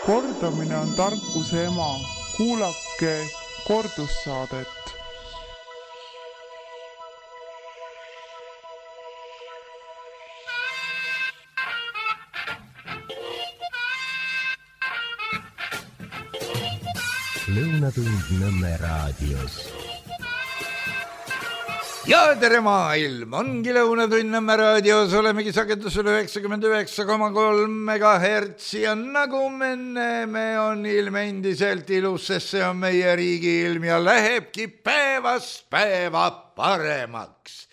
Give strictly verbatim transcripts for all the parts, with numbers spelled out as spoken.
Kordamine on tarkuse ema. Kuulake kordussaadet. Lõunatund Nõmme raadios. Ja tere maailm, ongi Lõunatund Nõmme raadios, olemegi sagedusel üheksakümmend üheksa koma kolm megahertsi ja nagu me näeme, on ilm endiselt ilus, sest see on meie riigi ilm ja lähebki päevast päeva paremaks.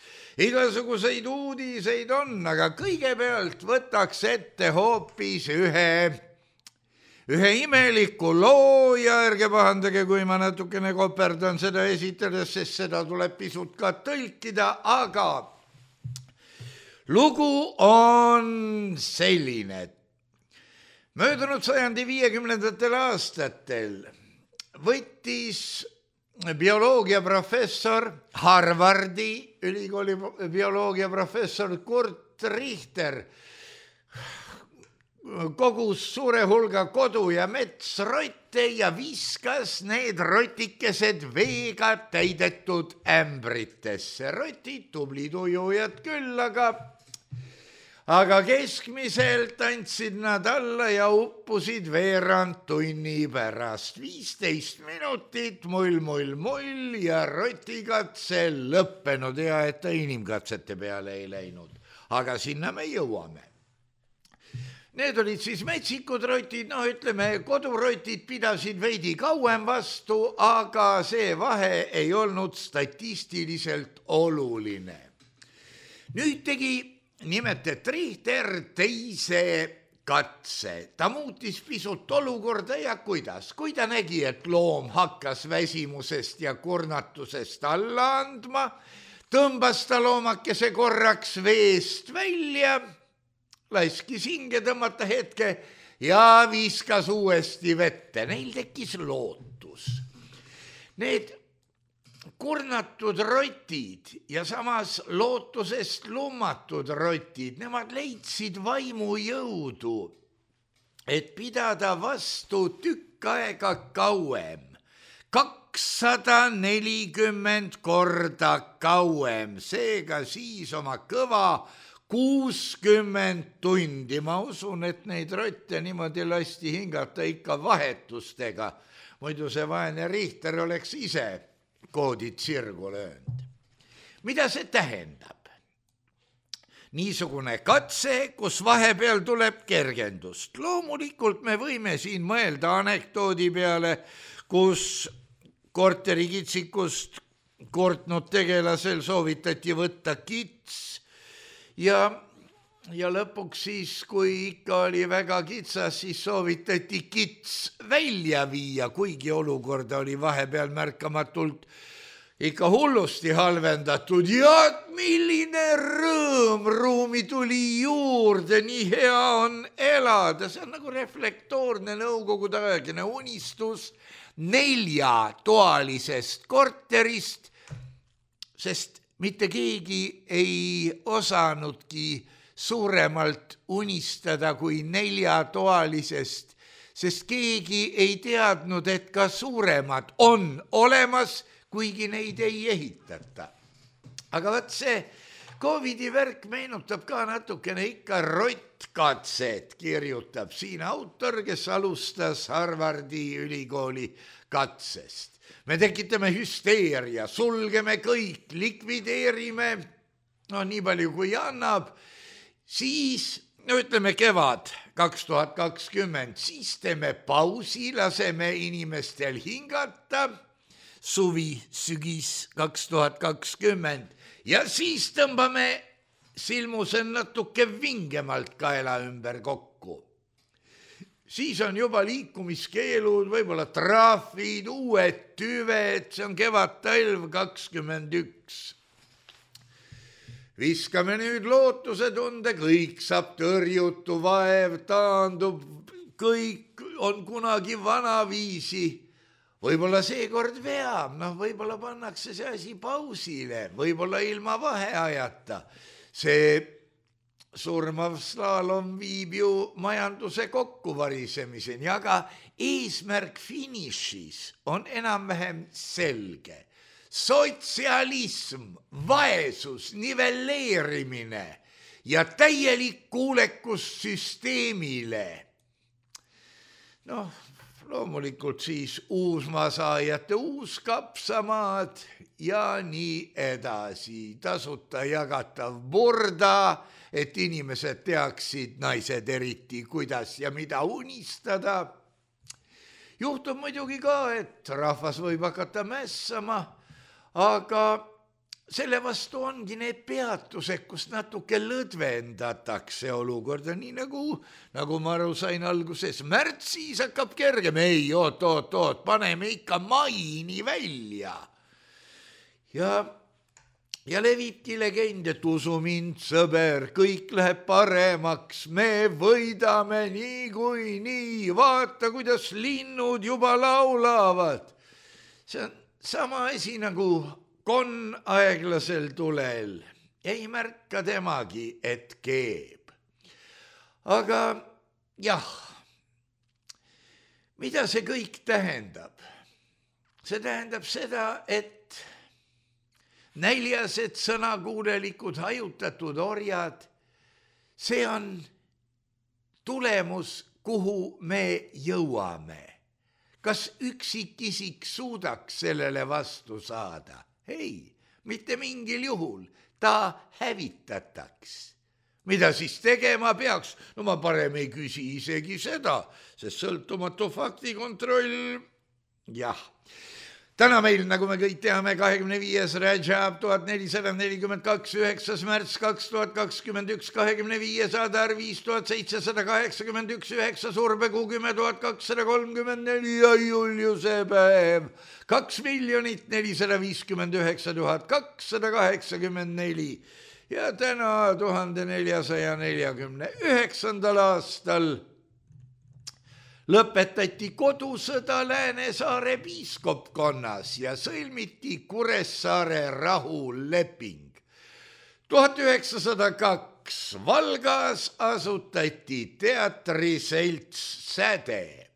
Igasuguseid uudiseid on, aga kõigepealt võtaks ette hoopis ühe Ühe imeliku loo ja ärge pahandage, kui ma natukene koperdan seda esitades, sest seda tuleb pisut ka tõlkida, aga lugu on selline. Möödunud sajandi viiekümnendatel aastatel võttis bioloogiaprofessor, Harvardi ülikooli bioloogiaprofessor Kurt Richter kogus suure hulga kodu- ja metsrotte ja viskas need rotikesed veega täidetud ämbritesse. Rotid, tublid ujujad küll, aga, aga keskmiselt andsid nad alla ja uppusid veerand tunni pärast. viisteist minutit, mull, mull, mull ja rotikatse lõppenud. Hea, et ta inimkatsete peale ei läinud. Aga sinna me jõuame. Need olid siis metsikud rotid, no ütleme, kodurotid pidasid veidi kauem vastu, aga see vahe ei olnud statistiliselt oluline. Nüüd tegi nimetet Richter teise katse. Ta muutis pisut olukorda ja kuidas? Kui ta nägi, et loom hakkas väsimusest ja kurnatusest alla andma, tõmbas ta loomakese korraks veest välja, laskis hinge tõmmata hetke ja viskas uuesti vette. Neil tekkis lootus. Need kurnatud rotid ja samas lootusest lummatud rotid, nemad leidsid vaimujõudu, et pidada vastu tükk aega kauem. kakssada nelikümmend korda kauem, seega siis oma kõva kuuskümmend tundi. Ma usun, et neid rotte niimoodi lasti hingata ikka vahetustega. Muidu see vaene Richter oleks ise koodid sirgu löönud. Mida see tähendab? Niisugune katse, kus vahepeal tuleb kergendust. Loomulikult me võime siin mõelda anekdoodi peale, kus korterikitsikust kortnud tegelasel soovitati võtta kits, Ja, ja lõpuks siis, kui ikka oli väga kitsas, siis soovitati kits välja viia, kuigi olukorda oli vahepeal märkamatult ikka hullusti halvendatud. Ja milline rõõm, ruumi tuli juurde, nii hea on elada. See on nagu reflektoorne nõukogude aegne unistus neljatoalisest korterist, sest mitte keegi ei osanudki suuremalt unistada kui neljatoalisest, sest keegi ei teadnud, et ka suuremad on olemas, kuigi neid ei ehitata. Aga võt see Covidi värk meenutab ka natukene ikka rottkatset, kirjutab siin autor, kes alustas Harvardi ülikooli katsest. Me tekitame hüsteeria, sulgeme kõik, likvideerime, no nii palju kui annab, siis, no ütleme kevad kaks tuhat kakskümmend, siis teeme pausi, laseme inimestel hingata, suvi, sügis kaks tuhat kakskümmend ja siis tõmbame silmuse natuke vingemalt kaela ümber kokku. Siis on juba liikumiskeelud, võib-olla trahvid, uued tüved, see on kevad-talv kakskümmend üks. Viskame nüüd lootusetunde, kõik saab tõrjutu, vaev taandub, kõik on kunagi vanaviisi. Võib-olla seekord veab, noh võib-olla pannakse see asi pausile, võib-olla ilma vaheajata. See surmav slaalom viib ju majanduse kokkuvarisemiseni, aga eesmärk finišis on enam-vähem selge. Sotsialism, vaesus, nivelleerimine ja täielik kuulekus süsteemile. Noh, loomulikult siis uusmaasaajate uus kapsamaad ja nii edasi. Tasuta jagatav burda, et inimesed teaksid, naised eriti, kuidas ja mida unistada. Juhtub muidugi ka, et rahvas võib hakata mässama, aga selle vastu ongi need peatused, kus natuke lõdvendatakse olukorda, nii nagu, nagu ma aru sain alguses, märtsis hakkab kergem, ei, oot, oot, oot, paneme ikka maini välja. Ja, ja levibki legend, et usu mind, sõber, kõik läheb paremaks, me võidame nii kui nii, vaata, kuidas linnud juba laulavad. See on sama asi nagu konn aeglasel tulel, ei märka temagi, et keeb. Aga jah, mida see kõik tähendab? See tähendab seda, et näljased sõnakuulelikud hajutatud orjad, see on tulemus, kuhu me jõuame. Kas üksikisik suudaks sellele vastu saada? Ei, mitte mingil juhul, ta hävitataks. Mida siis tegema peaks? No ma parem ei küsi isegi seda, sest sõltumatu faktikontroll, jah. Täna meil, nagu me kõik teame, kahekümne viies Rajab tuhat nelisada nelikümmend kaks, üheksas märts kaks tuhat kakskümmend üks, kahekümne viies Adar viis tuhat seitsesada kaheksakümmend üks, üheksas Urbekuu kümme tuhat kakssada kolmkümmend neli ja Juliuse päev kaks miljonit nelisada viiskümmend üheksa tuhat kakssada kaheksakümmend neli ja täna tuhande neljasaja neljakümne üheksandal aastal lõpetati kodusõda Läänesaare piiskopkonnas ja sõlmiti Kuressaare rahuleping. tuhat üheksasada kaks Valgas asutati teatriselts Säde.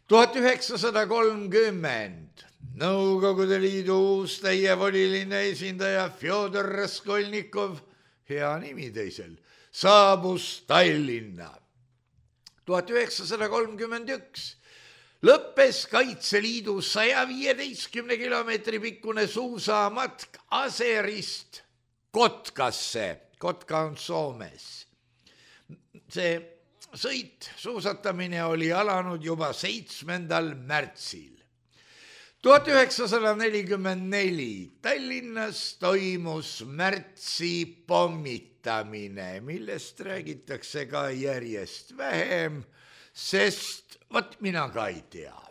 tuhat üheksasada kolmkümmend Nõukogude Liidu uus täievoliline esindaja Fjodor Raskolnikov, hea nimi teisel, saabus Tallinna. tuhat üheksasada kolmkümmend üks lõppes Kaitseliidu saja viieteistkümne kilomeetri pikkune suusamatk Aserist Kotkasse. Kotka on Soomes. See sõit, suusatamine oli alanud juba seitsmendal märtsil. tuhat üheksasada nelikümmend neli Tallinnas toimus märtsi pommitamine, millest räägitakse ka järjest vähem, sest vat mina ka ei tea.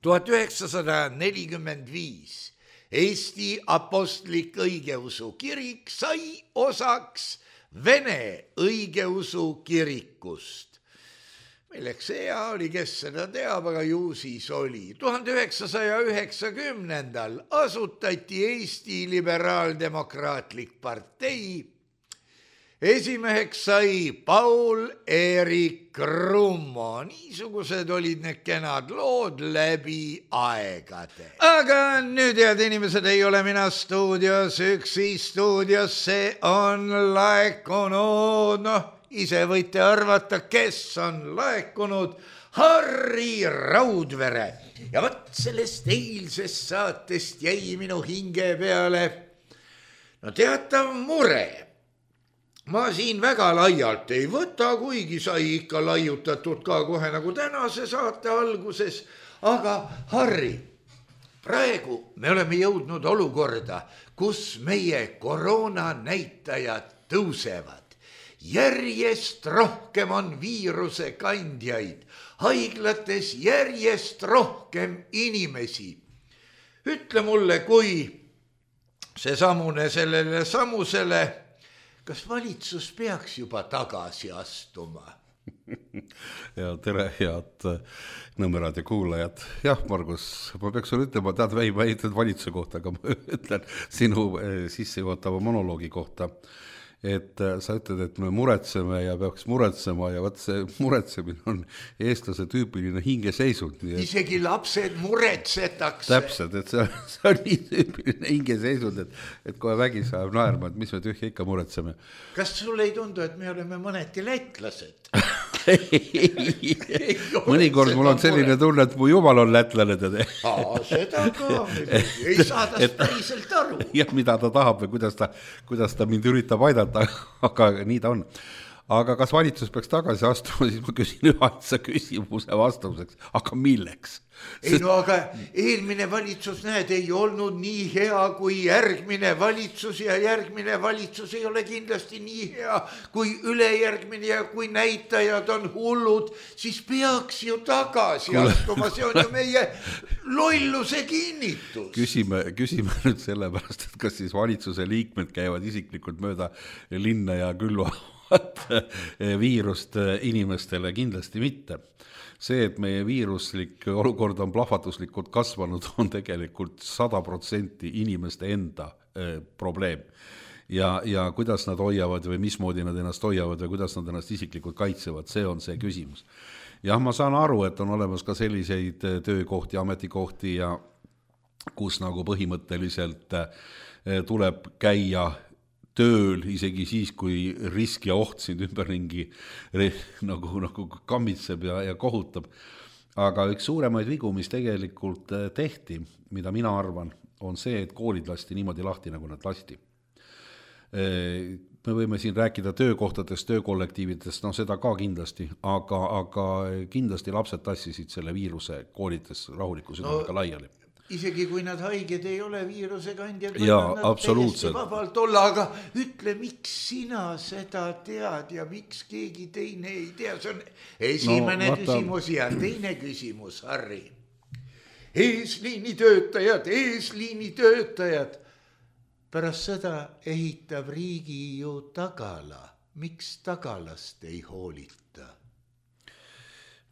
tuhat üheksasada nelikümmend viis Eesti Apostlik Õigeusu Kirik sai osaks Vene Õigeusu Kirikust. Milleks hea oli, kes seda teab, aga ju siis oli. tuhande üheksasaja üheksakümnendal asutati Eesti Liberaaldemokraatlik partei. Esimeheks sai Paul-Eerik Krummo. Niisugused olid need kenad lood läbi aegade. Aga nüüd, head inimesed, ei ole mina stuudios, üksi stuudios, see on laekunud, noh, ise võite arvata, kes on laekunud, Harri Raudvere. Ja võt sellest eilsest saatest jäi minu hinge peale no teatav mure. Ma siin väga laialt ei võta, kuigi sai ikka laiutatud ka kohe nagu tänase saate alguses. Aga Harri, praegu me oleme jõudnud olukorda, kus meie koroona näitajad tõusevad. Järjest rohkem on viiruse kandjaid, haiglates järjest rohkem inimesi. Ütle mulle, kui see samune sellele samusele, kas valitsus peaks juba tagasi astuma? Ja tere, head Nõmmeraadio kuulajad. Jah, Margus, ma peaks sulle ütlema, tead, ma ei ütled valitsuse kohta, aga ma ütlen sinu sissejuhatava monoloogi kohta, et sa ütled, et me muretseme ja peaks muretsema ja võt see muretsemine on eestlase tüüpiline hingeseisund. Isegi lapsed muretsetakse. Täpselt, et see, see on nii tüüpiline hingeseisund, et, et kohe vägi saab naerma, et mis me tühja ikka muretseme. Kas sulle ei tundu, et me oleme mõneti lätlased? Mõnikord mul on selline tunne, et mu jumal on lätlane teda. Aa, seda ka, ei saa tast päriselt aru. Jah, mida ta tahab või kuidas ta, kuidas ta mind üritab aidata, aga nii ta on. Aga kas valitsus peaks tagasi astuma, siis ma küsin ühaitsa küsimuse vastuseks, aga milleks? Ei no aga eelmine valitsus, näed, ei olnud nii hea kui järgmine valitsus ja järgmine valitsus ei ole kindlasti nii hea kui ülejärgmine ja kui näitajad on hullud, siis peaks ju tagasi astuma, see on ju meie lolluse kinnitus. Küsime, küsime nüüd selle pärast, et kas siis valitsuse liikmed käivad isiklikult mööda linna ja külvavad viirust inimestele, kindlasti mitte. See, et meie viiruslik olukord on plahvatuslikult kasvanud, on tegelikult sada protsenti inimeste enda eh, probleem. Ja, ja kuidas nad hoiavad või mismoodi nad ennast hoiavad või kuidas nad ennast isiklikult kaitsevad, see on see küsimus. Jah, ma saan aru, et on olemas ka selliseid töökohti, ametikohti, ja kus nagu põhimõtteliselt eh, tuleb käia tööl isegi siis, kui risk ja oht sind ümberringi nagu, nagu kammitseb ja, ja kohutab. Aga üks suuremaid vigu, mis tegelikult tehti, mida mina arvan, on see, et koolid lasti niimoodi lahti, nagu nad lasti. Me võime siin rääkida töökohtadest, töökollektiividest, no seda ka kindlasti, aga, aga kindlasti lapsed tassisid selle viiruse koolides rahuliku südamega no. laiali. Isegi kui nad haiged ei ole viirusekandjad, ja, absoluutselt. Vabalt olla, aga ütle, miks sina seda tead ja miks keegi teine ei tea. See on esimene no, küsimus ja teine küsimus, Harri. Eesliini töötajad, eesliini töötajad. Pärast seda ehitab riigi ju tagala. Miks tagalast ei hoolita?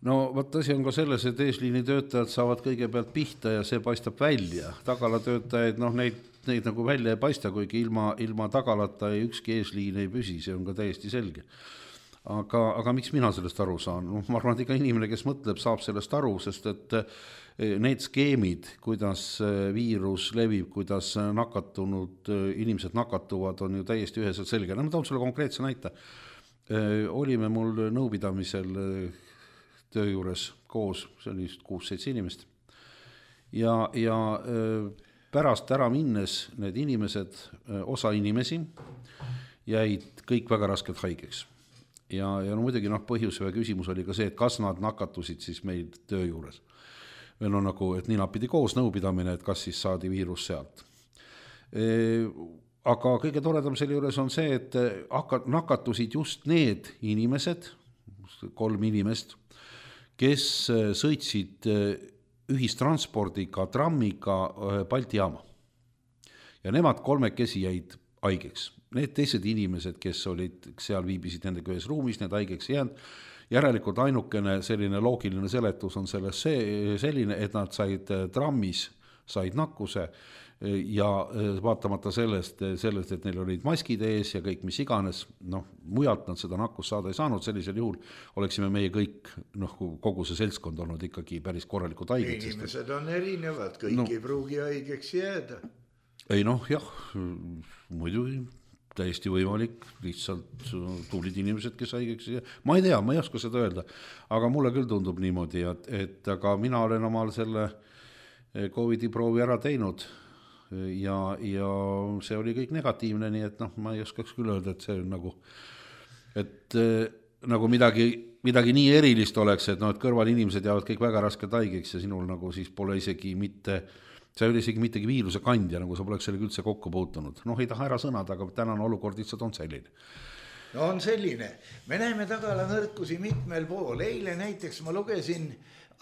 No võt asi on ka selles, et eesliini töötajad saavad kõigepealt pihta ja see paistab välja. Tagala töötajaid, noh, neid, neid nagu välja ei paista, kuigi ilma, ilma tagalata ei ükski eesliin ei püsi, see on ka täiesti selge. Aga, aga miks mina sellest aru saan? No, ma arvan, et iga inimene, kes mõtleb, saab sellest aru, sest et need skeemid, kuidas viirus levib, kuidas nakatunud inimesed nakatuvad, on ju täiesti üheselt selge. No, ma toon sulle konkreetse näite. Olime mul nõupidamisel töö juures koos, see oli kuus-seitse inimest. Ja, ja pärast ära minnes need inimesed, osa inimesi, jäid kõik väga raskelt haigeks. Ja, ja no muidugi noh, põhjus või küsimus oli ka see, et kas nad nakatusid siis meil töö juures. Või no nagu, et nii napidi koos nõupidamine, et kas siis saadi viirus sealt. Aga kõige toredam selle juures on see, et nakatusid just need inimesed, kolm inimest, kes sõitsid ühistranspordiga, trammiga Balti jaama. Ja nemad kolmekesi jäid haigeks. Need teised inimesed, kes olid seal viibisid nendega ühes ruumis, need haigeks jäänud. Järelikult ainukene selline loogiline seletus on selles see, selline, et nad said trammis, said nakkuse ja vaatamata sellest, sellest, et neil olid maskid ees ja kõik mis iganes, noh, mujalt nad seda nakkust saada ei saanud, sellisel juhul oleksime meie kõik, noh, kogu see seltskond olnud ikkagi päris korralikult haiged. Inimesed on erinevad, kõik no, ei pruugi haigeks jääda. Ei noh, jah, muidugi täiesti võimalik, lihtsalt tublid inimesed, kes haigeks jääda. Ma ei tea, ma ei oska seda öelda, aga mulle küll tundub niimoodi, et, et aga mina olen omal selle Covidi proovi ära teinud ja, ja see oli kõik negatiivne, nii et noh, ma ei oskaks küll öelda, et see on nagu, et nagu midagi, midagi nii erilist oleks, et, no, et kõrval inimesed jäävad kõik väga raskelt haigeks ja sinul nagu siis pole isegi mitte, see oli isegi mittegi viiruse kandja, nagu sa poleks sellega üldse kokku puutunud. Noh, ei taha ära sõnada, aga tänane olukord lihtsalt on selline. No on selline. Me näeme tagala nõrkusi mitmel pool. Eile näiteks ma lugesin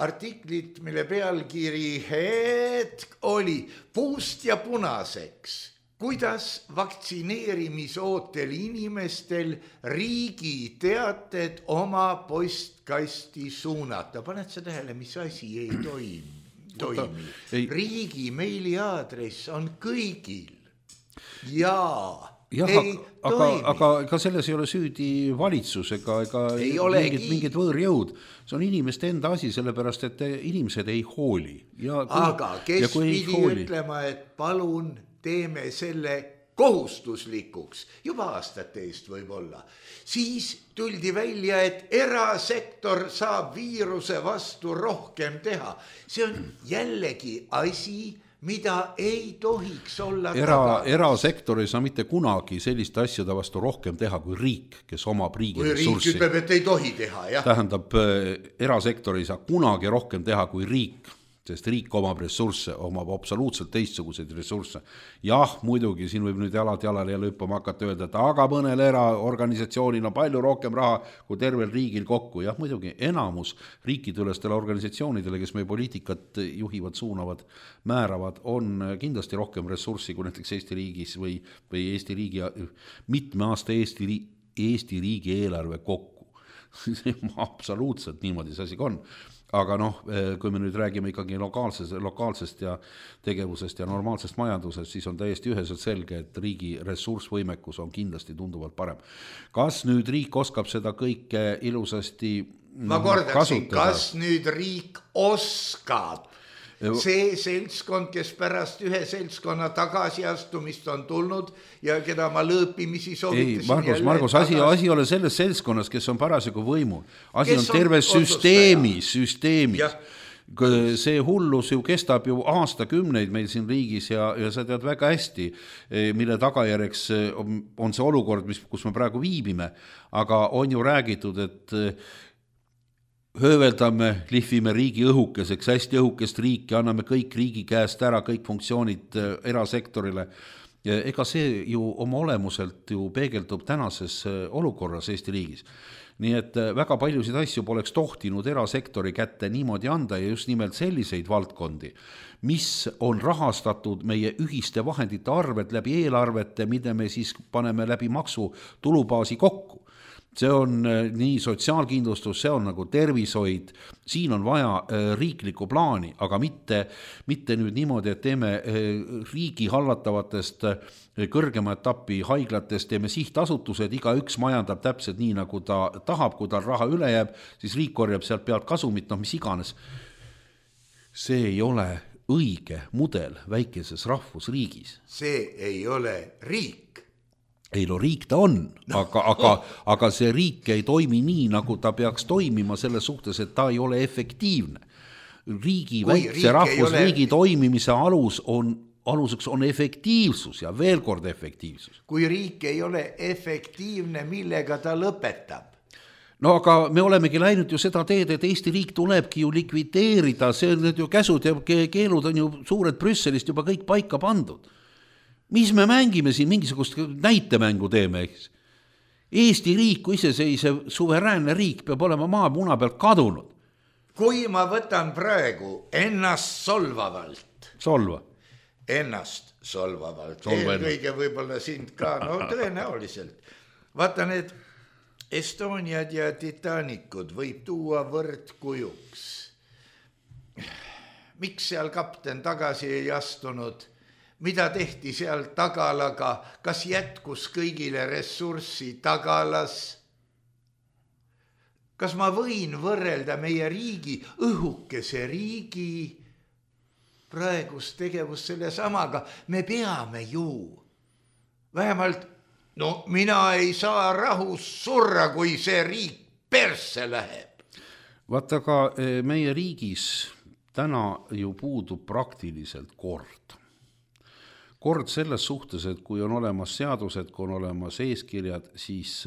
artiklit, mille pealkiri hetk oli puust ja punaseks. Kuidas vaktsineerimisootel inimestel riigi teated oma postkasti suunata? Paned sa tähele, mis asi ei toimi? toimi. Riigi meiliaadress on kõigil ja jah, ei aga, toimi. aga ega selles ei ole süüdi valitsus ega, ega mingid, mingid võõrjõud. See on inimeste enda asi, sellepärast, et inimesed ei hooli. Ja kui, aga kes pidi hooli... ütlema, et palun teeme selle kohustuslikuks, juba aastate eest võib-olla. Siis tuldi välja, et erasektor saab viiruse vastu rohkem teha. See on jällegi asi, mida ei tohiks olla Era, erasektor ei saa mitte kunagi sellist asjade vastu rohkem teha kui riik, kes omab riigi kui ressurssi. Riik ütleb, et ei tohi teha, jah. Tähendab, erasektor ei saa kunagi rohkem teha kui riik, sest riik omab ressursse, omab absoluutselt teistsuguseid ressursse. Jah, muidugi, siin võib nüüd jalad jalale ja lõppama hakata öelda, et aga mõnel eraorganisatsioonil on palju rohkem raha kui tervel riigil kokku. Jah, muidugi, enamus riikidülestele organisatsioonidele, kes meie poliitikat juhivad, suunavad, määravad, on kindlasti rohkem ressurssi kui näiteks Eesti riigis või, või Eesti riigi, mitme aasta Eesti, Eesti riigi eelarve kokku. Absoluutselt niimoodi see asi on. Aga noh, kui me nüüd räägime ikkagi lokaalsest, lokaalsest ja tegevusest ja normaalsest majandusest, siis on täiesti üheselt selge, et riigi ressursvõimekus on kindlasti tunduvalt parem. Kas nüüd riik oskab seda kõike ilusasti Ma kordaksin, kas nüüd riik oskab? See seltskond, kes pärast ühe seltskonna tagasiastumist on tulnud ja keda ma lõõpimisi soovitasin. Ei, Margus, Margus asi, asi ole selles seltskonnas, kes on parasjagu võimul. Asi kes on terve on süsteemis, süsteemis. Ja. See hullus ju kestab ju aastakümneid meil siin riigis ja, ja sa tead väga hästi, mille tagajärjeks on see olukord, mis, kus me praegu viibime. Aga on ju räägitud, et hööveldame, lihvime riigi õhukeseks, hästi õhukest riiki, anname kõik riigi käest ära, kõik funktsioonid erasektorile. Ega see ju oma olemuselt ju peegeldub tänases olukorras Eesti riigis. Nii et väga paljusid asju poleks tohtinud erasektori kätte niimoodi anda ja just nimelt selliseid valdkondi, mis on rahastatud meie ühiste vahendite arved läbi eelarvete, mida me siis paneme läbi maksu tulubaasi kokku. See on nii sotsiaalkindlustus, see on nagu tervishoid, siin on vaja riiklikku plaani, aga mitte, mitte nüüd niimoodi, et teeme riigi hallatavatest kõrgema etappi haiglatest, teeme sihtasutused, iga üks majandab täpselt nii, nagu ta tahab, kui tal raha üle jääb, siis riik korjab sealt pealt kasumit, noh mis iganes. See ei ole õige mudel väikeses rahvusriigis. See ei ole riik. Ei no riik ta on, aga, aga, aga see riik ei toimi nii, nagu ta peaks toimima selles suhtes, et ta ei ole efektiivne. Riigi, väikse rahvusriigi ole... toimimise alus on, aluseks on efektiivsus ja veel kord efektiivsus. Kui riik ei ole efektiivne, millega ta lõpetab? No aga me olemegi läinud ju seda teed, et Eesti riik tulebki ju likvideerida, see on ju käsud ja keelud on ju suured Brüsselist juba kõik paika pandud. Mis me mängime siin, mingisugust näitemängu teeme, eks? Eesti riik, kui iseseisev suveräänne riik peab olema maa muna pealt kadunud. Kui ma võtan praegu ennast solvavalt. Solva. Ennast solvavalt. Eelkõige võib-olla sind ka, no tõenäoliselt. Vaata need Estoniad ja Titanikud võib tuua võrdkujuks. Miks seal kapten tagasi ei astunud? Mida tehti seal tagalaga, kas jätkus kõigile ressurssi tagalas? Kas ma võin võrrelda meie riigi, õhukese riigi praegust tegevust selle samaga? Me peame ju. Vähemalt, no mina ei saa rahus surra, kui see riik persse läheb. Vaata ka meie riigis täna ju puudub praktiliselt kord. Kord selles suhtes, et kui on olemas seadused, kui on olemas eeskirjad, siis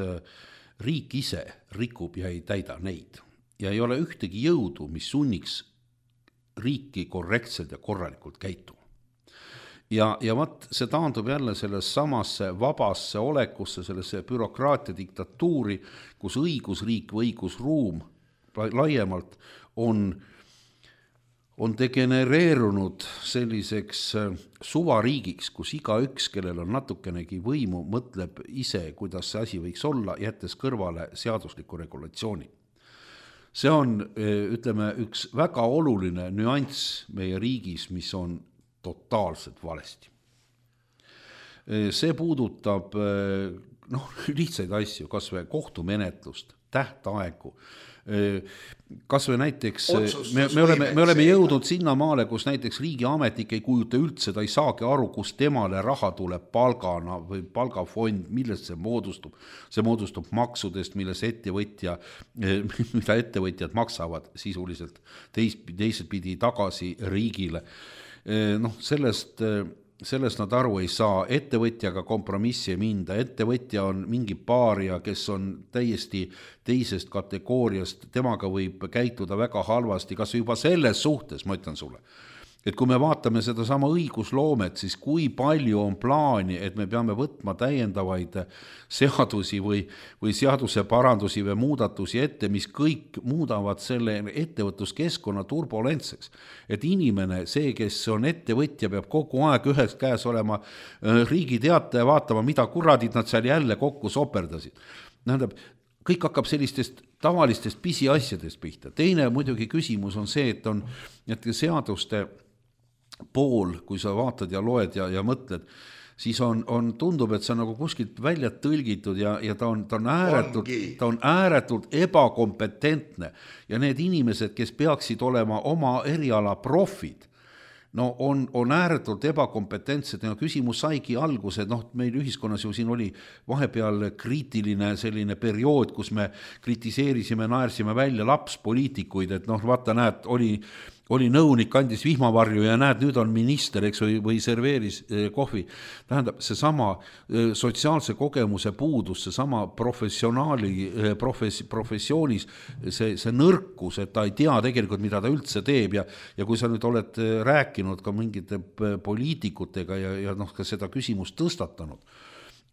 riik ise rikub ja ei täida neid. Ja ei ole ühtegi jõudu, mis sunniks riiki korrektselt ja korralikult käituma. Ja, ja vaat see taandub jälle selles samasse vabasse olekusse, sellesse bürokraatia diktatuuri, kus õigusriik või õigusruum laiemalt on on degenereerunud selliseks suvariigiks, kus iga üks, kellel on natukenegi võimu, mõtleb ise, kuidas see asi võiks olla, jättes kõrvale seadusliku regulatsiooni. See on, ütleme, üks väga oluline nüanss meie riigis, mis on totaalselt valesti. see puudutab noh, lihtsaid asju, kas või kohtumenetlust, tähtaegu, kas või näiteks me, me, oleme, me oleme jõudnud sinna maale, kus näiteks riigiametnik ei kujuta üldse, ta ei saagi aru, kus temale raha tuleb palgana või palgafond, millest see moodustub. See moodustub maksudest, milles ettevõtja, mida ettevõtjad maksavad sisuliselt teis, teiselt pidi tagasi riigile. Noh, sellest sellest nad aru ei saa, ettevõtjaga kompromissi ei minda, ettevõtja on mingi paaria, kes on täiesti teisest kategooriast, temaga võib käituda väga halvasti, kas juba selles suhtes, ma ütlen sulle, et kui me vaatame seda sama õigusloomet, siis kui palju on plaani, et me peame võtma täiendavaid seadusi või, või seaduse parandusi või muudatusi ette, mis kõik muudavad selle ettevõtluskeskkonna turbulentseks. Et inimene, see, kes on ettevõtja, peab kogu aeg ühes käes olema riigi teataja vaatama, mida kuradid nad seal jälle kokku soperdasid. Tähendab, kõik hakkab sellistest tavalistest pisiasjadest pihta. Teine muidugi küsimus on see, et on et seaduste pool, kui sa vaatad ja loed ja, ja mõtled, siis on, on, tundub, et see on nagu kuskilt välja tõlgitud ja, ja ta on, ta on ääretult, ta on ääretult ebakompetentne ja need inimesed, kes peaksid olema oma eriala profid, no on, on ääretult ebakompetentsed ja küsimus saigi alguse, noh, meil ühiskonnas ju siin oli vahepeal kriitiline selline periood, kus me kritiseerisime, naersime välja lapspoliitikuid, et noh, vaata, näed, oli oli nõunik, andis vihmavarju ja näed, nüüd on minister, eks, või, või serveeris kohvi. Tähendab, see sama sotsiaalse kogemuse puudus, see sama professionaali, profes, professioonis, see, see nõrkus, et ta ei tea tegelikult, mida ta üldse teeb ja, ja kui sa nüüd oled rääkinud ka mingite poliitikutega ja, ja noh, ka seda küsimust tõstatanud,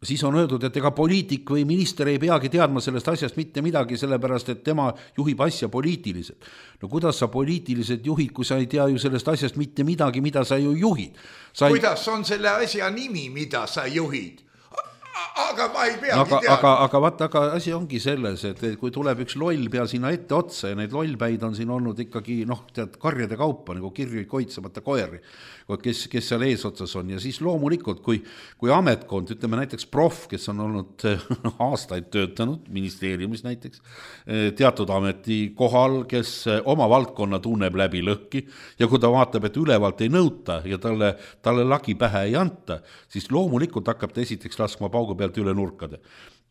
siis on öeldud, et ega poliitik või minister ei peagi teadma sellest asjast mitte midagi, sellepärast, et tema juhib asja poliitiliselt. No kuidas sa poliitiliselt juhid, kui sa ei tea ju sellest asjast mitte midagi, mida sa ju juhid? Sa ei... Kuidas on selle asja nimi, mida sa juhid? Aga ma ei peagi aga, teada. Aga, aga vaata, aga asi ongi selles, et kui tuleb üks loll pea sinna ette otsa ja neid lollpäid on siin olnud ikkagi, noh, tead, karjade kaupa, nagu kirju koitsamata koeri, kes, kes seal eesotsas on ja siis loomulikult, kui, kui ametkond, ütleme näiteks prof, kes on olnud aastaid töötanud ministeeriumis näiteks, teatud ameti kohal, kes oma valdkonna tunneb läbi lõhki ja kui ta vaatab, et ülevalt ei nõuta ja talle, talle lagi pähe ei anta, siis loomulikult hakkab ta esiteks laskma paugu pealt üle nurkade.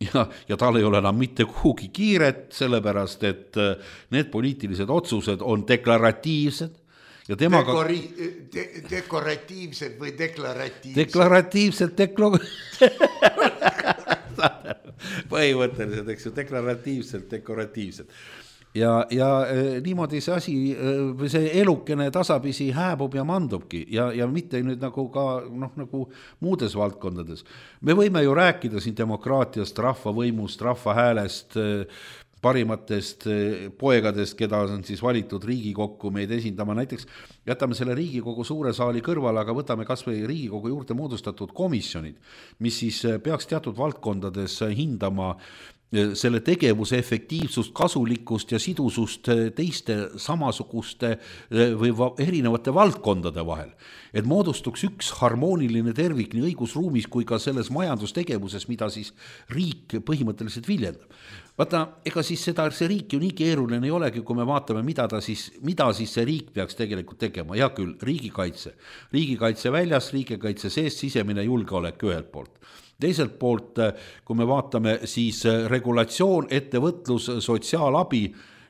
Ja, ja tal ei ole enam mitte kuhugi kiiret, sellepärast, et need poliitilised otsused on deklaratiivsed. Ja temaga... Dekori, de, dekoratiivsed või deklaratiivsed? Deklaratiivsed, deklo... põhimõtteliselt, eks ju, deklaratiivselt, dekoratiivselt. Ja, ja niimoodi see asi, see elukene tasapisi hääbub ja mandubki ja, ja mitte nüüd nagu ka noh, nagu muudes valdkondades. Me võime ju rääkida siin demokraatiast, rahvavõimust, rahvahäälest, parimatest poegadest, keda on siis valitud Riigikokku meid esindama. Näiteks jätame selle Riigikogu suure saali kõrvale, aga võtame kas või Riigikogu juurde moodustatud komisjonid, mis siis peaks teatud valdkondades hindama selle tegevuse efektiivsust, kasulikkust ja sidusust teiste samasuguste või erinevate valdkondade vahel. Et moodustuks üks harmooniline tervik nii õigusruumis kui ka selles majandustegevuses, mida siis riik põhimõtteliselt viljendab. Vaata, ega siis seda, see riik ju nii keeruline ei olegi, kui me vaatame, mida, ta siis, mida siis see riik peaks tegelikult tegema. Ja küll, riigikaitse. Riigikaitse väljas, riigikaitse sees, sisemine julgeolek ühelt poolt. Teiselt poolt, kui me vaatame siis regulatsioon, ettevõtlus, sotsiaalabi,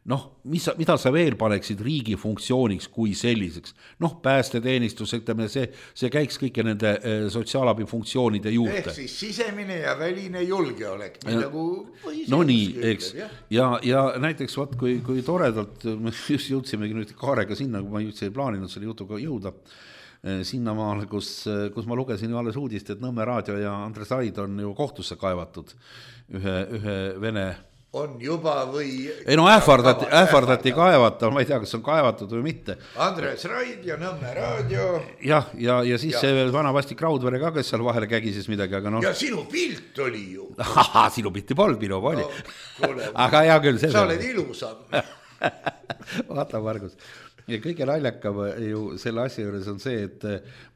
noh, mis, mida sa veel paneksid riigi funktsiooniks kui selliseks? Noh, päästeteenistus, ütleme, see, see käiks kõike nende sotsiaalabi funktsioonide juurde. Ehk siis sisemine ja väline julgeolek. Ja, nagu no nii, eks. Ja, ja näiteks, vaat, kui, kui toredalt, me just jõudsimegi nüüd Kaarega sinna, kui ma üldse ei plaaninud selle jutuga jõuda, sinna maal, kus, kus ma lugesin ju alles uudist, et Nõmme Raadio ja Andres Aid on ju kohtusse kaevatud ühe, ühe vene... On juba või... Ei no ähvardati, ähvardati kaevata, ma ei tea, kas on kaevatud või mitte. Andres Raid ja Nõmme Raadio. Jah, ja, ja siis ja. See vana vastik Raudvere ka, kes seal vahele kägises midagi, aga noh... Ja sinu pilt oli ju. Aha, sinu pilti polnud, minu oli. No, aga hea küll. Sa oled ilusam. Vaata, Margus. Ja kõige naljakam ju selle asja juures on see, et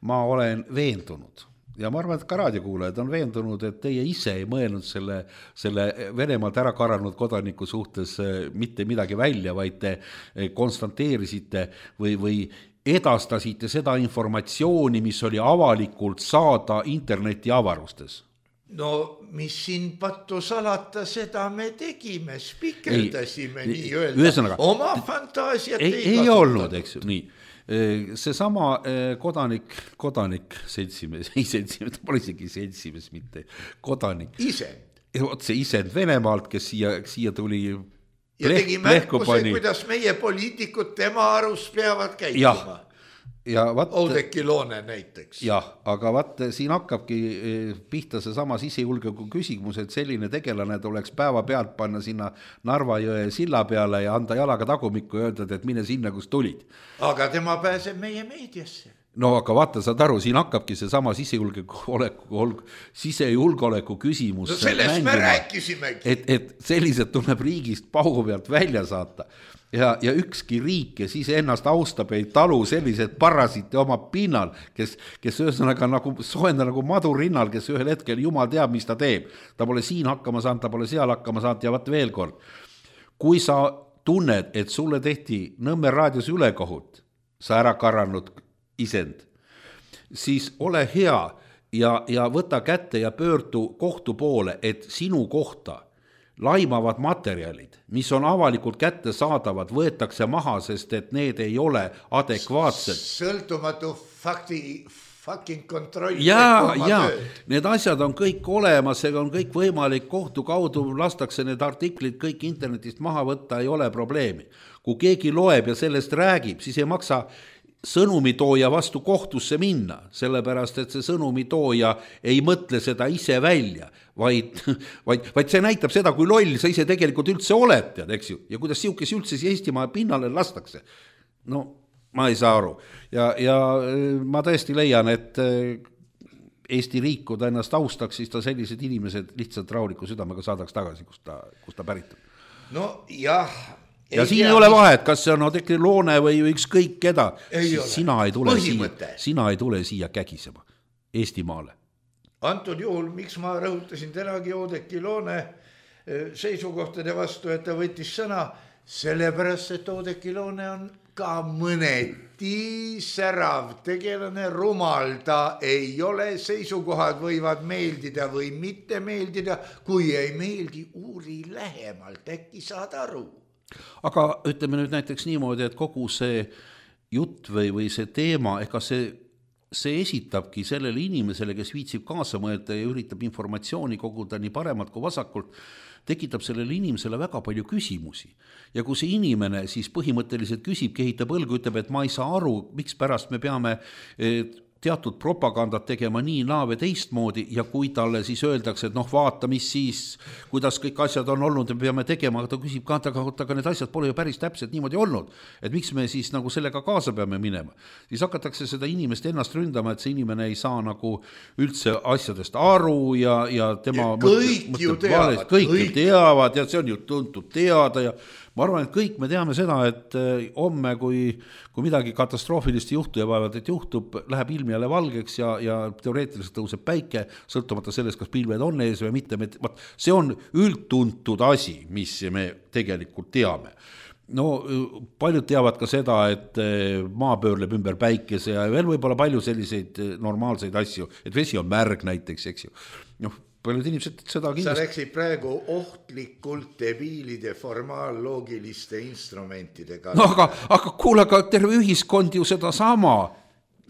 ma olen veendunud, ja ma arvan, et ka raadiokuulajad on veendunud, et teie ise ei mõelnud selle, selle Venemaalt ära karanud kodaniku suhtes mitte midagi välja, vaid te konstanteerisite või, või edastasite seda informatsiooni, mis oli avalikult saada interneti avarustes. No mis siin pattu salata, seda me tegime, spikerdasime ei, nii öelda, ühesõnaga, oma fantaasiat ei, ei, ei olnud, eks ju, nii. See sama kodanik, kodanik seltsimees, ei seltsimees, pole isegi seltsimees mitte, kodanik. Isend. Otse isend Venemaalt, kes siia, siia tuli ja pleh, tegi märkuse, kuidas meie poliitikud tema arust peavad käituma. Ja vaat, Oudekki Loone näiteks. Jah, aga vaat siin hakkabki pihta see sama sisejulgeoleku küsimus, et selline tegelane tuleks päeva pealt panna sinna Narva jõe silla peale ja anda jalaga tagumikku ja öelda, et mine sinna, kus tulid. Aga tema pääseb meie meediasse. No aga vaata, saad aru, siin hakkabki see sama sisejulgeoleku, sisejulgeoleku küsimus. No sellest mängima, me rääkisimegi. Et, et sellised tuleb riigist paugu pealt välja saata. Ja, ja ükski riik, kes ise ennast austab, ei talu sellised parasite oma pinnal, kes, kes ühesõnaga nagu soenda nagu madurinnal, kes ühel hetkel jumal teab, mis ta teeb. Ta pole siin hakkama saanud, ta pole seal hakkama saanud ja vaat veel kord. Kui sa tunned, et sulle tehti Nõmme raadios ülekohut, sa ära karanud isend, siis ole hea ja, ja võta kätte ja pöördu kohtu poole, et sinu kohta laimavad materjalid, mis on avalikult kätte saadavad, võetakse maha, sest et need ei ole adekvaatsed. Sõltumatu fakti, fucking kontroll. Ja, ja, need asjad on kõik olemas, see on kõik võimalik, kohtu kaudu lastakse need artiklid kõik internetist maha võtta, ei ole probleemi. Kui keegi loeb ja sellest räägib, siis ei maksa sõnumitooja vastu kohtusse minna, sellepärast, et see sõnumitooja ei mõtle seda ise välja, vaid, vaid, vaid see näitab seda, kui loll sa ise tegelikult üldse oled, tead, eks ju, ja kuidas siukes üldse Eestimaa pinnale lastakse. No, ma ei saa aru. Ja, ja ma tõesti leian, et Eesti riik, kui ta ennast austaks, siis ta sellised inimesed lihtsalt rahuliku südamega saadaks tagasi, kus ta, kus ta pärit on. No jah, ja ei siin tea, ei ole vahet, kas see on Oudekki Loone või ükskõik keda. Ei sina, ei tule siia, sina ei tule siia kägisema Eestimaale. Antud juhul, miks ma rõhutasin tänagi Oudekki Loone seisukohtade vastu, et ta võttis sõna, sellepärast, et Oudekki Loone on ka mõneti särav tegelane, rumal ta ei ole, seisukohad võivad meeldida või mitte meeldida, kui ei meeldi, uuri lähemalt, äkki saad aru. Aga ütleme nüüd näiteks niimoodi, et kogu see jutt või, või see teema, ega see, see esitabki sellele inimesele, kes viitsib kaasa mõelda ja üritab informatsiooni koguda nii paremalt kui vasakult, tekitab sellele inimesele väga palju küsimusi. Ja kui see inimene siis põhimõtteliselt küsib, kehitab õlgu, ütleb, et ma ei saa aru, miks pärast me peame teatud propagandat tegema nii naa või teistmoodi ja kui talle siis öeldakse, et noh vaata, mis siis, kuidas kõik asjad on olnud ja me peame tegema, aga ta küsib ka, aga need asjad pole ju päris täpselt niimoodi olnud, et miks me siis nagu sellega kaasa peame minema. Siis hakatakse seda inimest ennast ründama, et see inimene ei saa nagu üldse asjadest aru ja, ja tema ja kõik mõtleb, ju teavad, kõik, kõik teavad ja see on ju tuntud teada ja ma arvan, et kõik me teame seda, et homme, kui, kui midagi katastroofilist juhtu ja vaevalt, et juhtub, läheb ilm jälle valgeks ja, ja teoreetiliselt tõuseb päike, sõltumata sellest, kas pilved on ees või mitte. See on üldtuntud asi, mis me tegelikult teame. No paljud teavad ka seda, et maa pöörleb ümber päikese ja veel võib-olla palju selliseid normaalseid asju, et vesi on märg näiteks, eks ju. Noh, paljud inimesed seda kindlasti. Sa läksid praegu ohtlikult debiilide formaalloogiliste instrumentidega. No aga, aga kuule, aga terve ühiskond ju seda sama.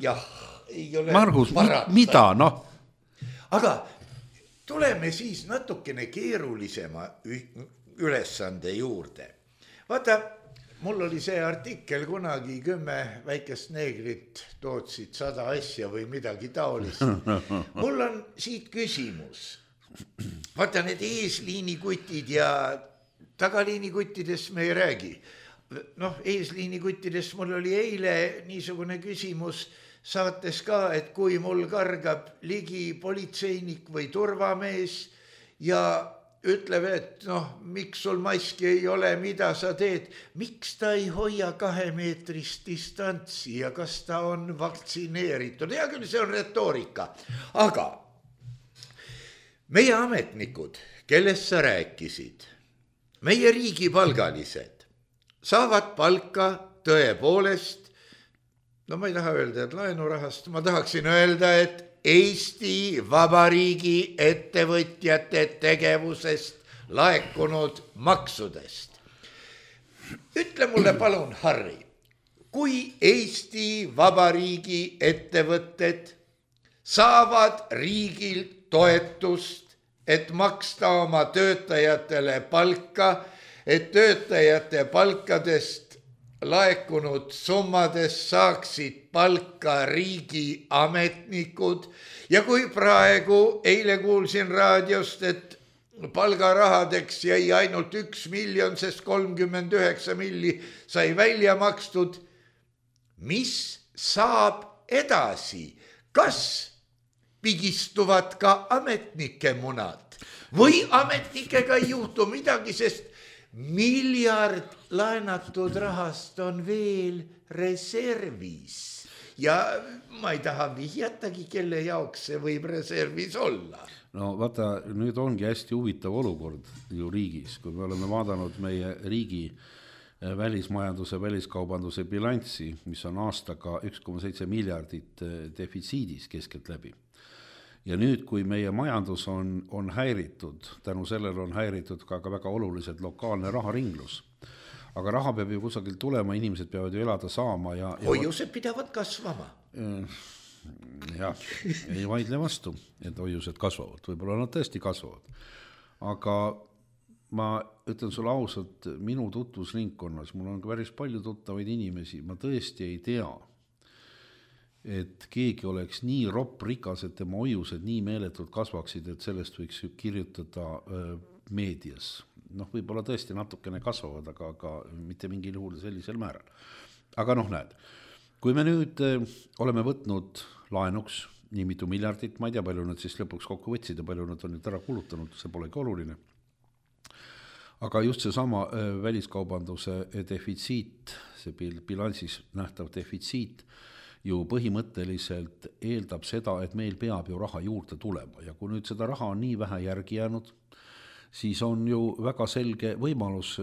Jah, ei ole Margus, mida, noh? Aga tuleme siis natukene keerulisema ülesande juurde. Vaata, mul oli see artikkel kunagi kümme väikest neegrit tootsid sada asja või midagi taolist. Mul on siit küsimus. Vaata, need eesliinikutid ja tagaliinikutidest me ei räägi. Noh, eesliinikutidest mul oli eile niisugune küsimus saates ka, et kui mul kargab ligi politseinik või turvamees ja ütleb, et noh, miks sul maski ei ole, mida sa teed, miks ta ei hoia kahemeetrist distantsi ja kas ta on vaktsineeritud. Hea küll, see on retoorika, aga meie ametnikud, kellest sa rääkisid, meie riigipalgalised, saavad palka tõepoolest, no ma ei taha öelda, et laenurahast, ma tahaksin öelda, et Eesti Vabariigi ettevõtjate tegevusest laekunud maksudest. Ütle mulle palun, Harri, kui Eesti Vabariigi ettevõtted saavad riigilt toetust, et maksta oma töötajatele palka, et töötajate palkadest laekunud summades saaksid palka riigi ametnikud ja kui praegu eile kuulsin raadiost, et palgarahadeks jäi ainult üks miljon, sest kolmkümmend üheksa milli sai välja makstud, mis saab edasi? Kas pigistuvad ka ametnike munad või ametnikega ei juhtu midagi, sest miljard laenatud rahast on veel reservis ja ma ei taha vihjatagi, kelle jaoks see võib reservis olla. No vaata, nüüd ongi hästi huvitav olukord ju riigis, kui me oleme vaadanud meie riigi välismajanduse, väliskaubanduse bilanssi, mis on aastaga üks koma seitse miljardit defitsiidis keskelt läbi. Ja nüüd, kui meie majandus on, on häiritud, tänu sellele on häiritud ka, ka väga oluliselt lokaalne raharinglus. Aga raha peab ju kusagil tulema, inimesed peavad ju elada saama. Ja, ja hoiused pidavad kasvama. Jah, ei vaidle vastu, et hoiused kasvavad. Võib-olla nad tõesti kasvavad. Aga ma ütlen sulle ausalt, minu tutvusringkonnas, mul on ka päris palju tuttavaid inimesi, ma tõesti ei tea, et keegi oleks nii ropp rikas, et tema hoiused nii meeletult kasvaksid, et sellest võiks kirjutada meedias. Noh, võib-olla tõesti natukene kasvavad, aga, aga mitte mingil juhul sellisel määral. Aga noh, näed, kui me nüüd oleme võtnud laenuks nii mitu miljardit, ma ei tea, palju nad siis lõpuks kokku võtsid ja palju nad on nüüd ära kulutanud, see polegi oluline. Aga just see sama väliskaubanduse defitsiit, see bilansis nähtav defitsiit, ju põhimõtteliselt eeldab seda, et meil peab ju raha juurde tulema ja kui nüüd seda raha on nii vähe järgi jäänud, siis on ju väga selge võimalus,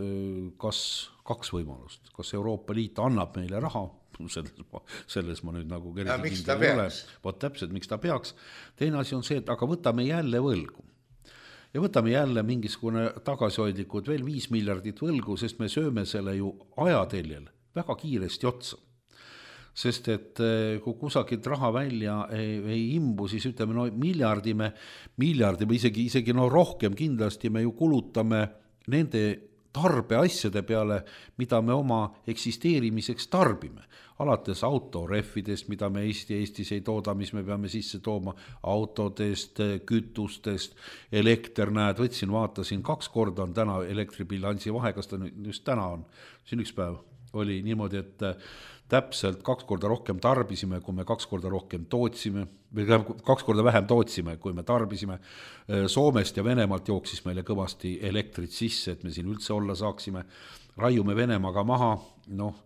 kas kaks võimalust, kas Euroopa Liit annab meile raha, selles ma, selles ma nüüd nagu ja miks ta peaks? Vot täpselt, miks ta peaks. Teine asi on see, et aga võtame jälle võlgu. Ja võtame jälle mingisugune tagasihoidlikud veel viis miljardit võlgu, sest me sööme selle ju ajateljel väga kiiresti otsa. Sest et kui kusagilt raha välja ei, ei imbu, siis ütleme, no miljardi me, miljardi me isegi, isegi no rohkem kindlasti me ju kulutame nende tarbeasjade peale, mida me oma eksisteerimiseks tarbime. Alates autorehvidest, mida me Eesti Eestis ei tooda, mis me peame sisse tooma, autodest, kütustest, elekter, näed, võtsin, vaatasin, kaks korda on täna elektribilansi vahe, kas ta just täna on, siin üks päev oli niimoodi, et täpselt kaks korda rohkem tarbisime, kui me kaks korda rohkem tootsime, või kaks korda vähem tootsime, kui me tarbisime. Soomest ja Venemaalt jooksis meile kõvasti elektrit sisse, et me siin üldse olla saaksime. Raiume Venemaaga maha, noh,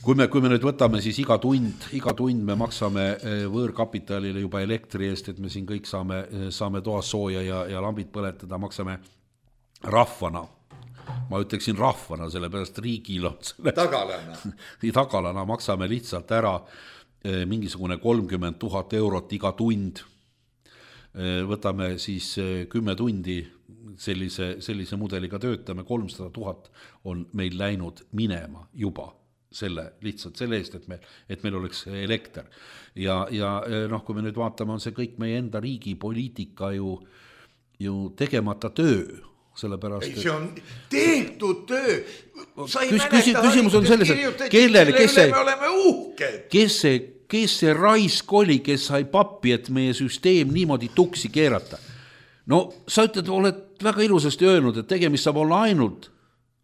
kui me, kui me nüüd võtame, siis iga tund, iga tund me maksame võõrkapitalile juba elektri eest, et me siin kõik saame, saame toas sooja ja, ja lambid põletada, maksame rahvana. Ma ütleksin rahvana, sellepärast riigil on selle, tagalana. tagalana maksame lihtsalt ära mingisugune kolmkümmend tuhat eurot iga tund. Võtame siis kümme tundi sellise, sellise mudeliga töötame, kolmsada tuhat on meil läinud minema juba selle, lihtsalt selle eest, et meil, et meil oleks elekter. Ja, ja noh, kui me nüüd vaatame, on see kõik meie enda riigi poliitika ju, ju tegemata töö. Sellepärast, ei, see on tehtud töö. Küs, küs, küsimus on selles, et kellele, kes see, me oleme uhked. Kes see, kes see raisk oli, kes sai pappi, et meie süsteem niimoodi tuksi keerata. No sa ütled, oled väga ilusasti öelnud, et tegemist saab olla ainult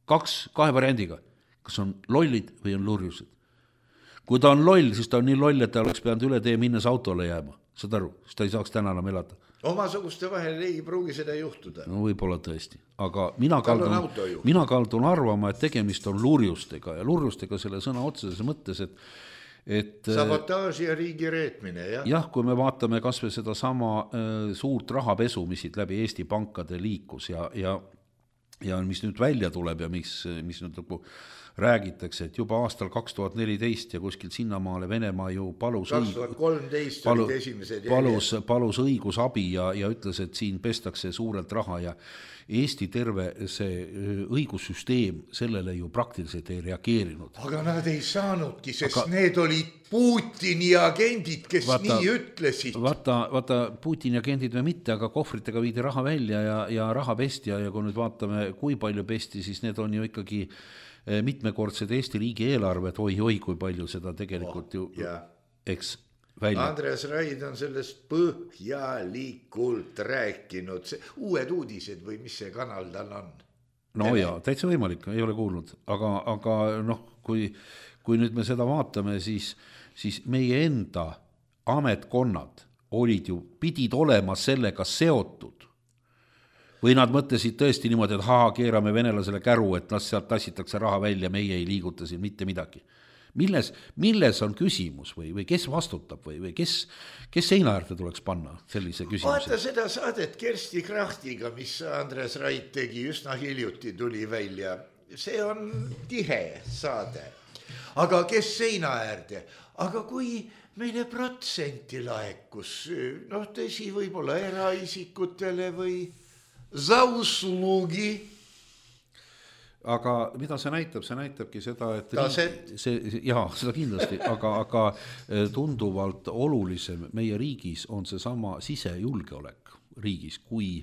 kaks, kahe variandiga. Kas on lollid või on lurjused. kui ta on loll, siis ta on nii loll, et ta oleks pidanud üle tee minnes autole jääma, saad aru, siis ta ei saaks täna enam elada. Omasuguste vahel ei pruugi seda juhtuda. No võib-olla tõesti, aga mina kaldun, mina kaldun arvama, et tegemist on lurjustega ja lurjustega selle sõna otseses mõttes, et et sabotaaži ja riigi reetmine, jah. jah, kui me vaatame kas või seda sama äh, suurt rahapesu, mis siit läbi Eesti pankade liikus ja, ja, ja mis nüüd välja tuleb ja mis, mis nüüd nagu räägitakse, et juba aastal kaks tuhat neliteist ja kuskil sinnamaale Venemaa ju palus kaks tuhat kolmteist palu, olid esimesed palus, palus õigusabi ja, ja ütles, et siin pestakse suurelt raha ja Eesti terve see õigussüsteem sellele ju praktiliselt ei reageerinud. Aga nad ei saanudki, sest aga need olid Putini agendid, kes vaata, nii ütlesid. Vaata, vaata Putini agendid või mitte, aga kohvritega viidi raha välja ja, ja raha pesti ja, ja kui nüüd vaatame, kui palju pesti, siis need on ju ikkagi mitmekordsed Eesti riigi eelarved, oi, oi, kui palju seda tegelikult ju, oh, eks välja. Andres Raid on sellest põhjalikult rääkinud, see, uued uudised või mis see kanal tal on? No Tele. Jaa, täitsa võimalik, ei ole kuulnud, aga, aga noh, kui, kui nüüd me seda vaatame, siis, siis meie enda ametkonnad olid ju, pidid olema sellega seotud. Või nad mõtlesid tõesti niimoodi, et haa, keerame venelasele käru, et las sealt tassitakse raha välja, meie ei liiguta siin mitte midagi. Milles, milles on küsimus või, või kes vastutab või, või kes, kes seinaäärde tuleks panna sellise küsimuse? Vaata seda saadet Kersti Krachtiga, mis Andres Raid tegi üsna hiljuti, tuli välja. See on tihe saade. Aga kes seinaäärde? Aga kui meile protsenti laekus, noh tõsi, võib-olla eraisikutele või za uslugi. Aga mida see näitab? See näitabki seda, et riik, see, jaa, seda kindlasti, aga, aga tunduvalt olulisem meie riigis on see sama sisejulgeolek riigis kui,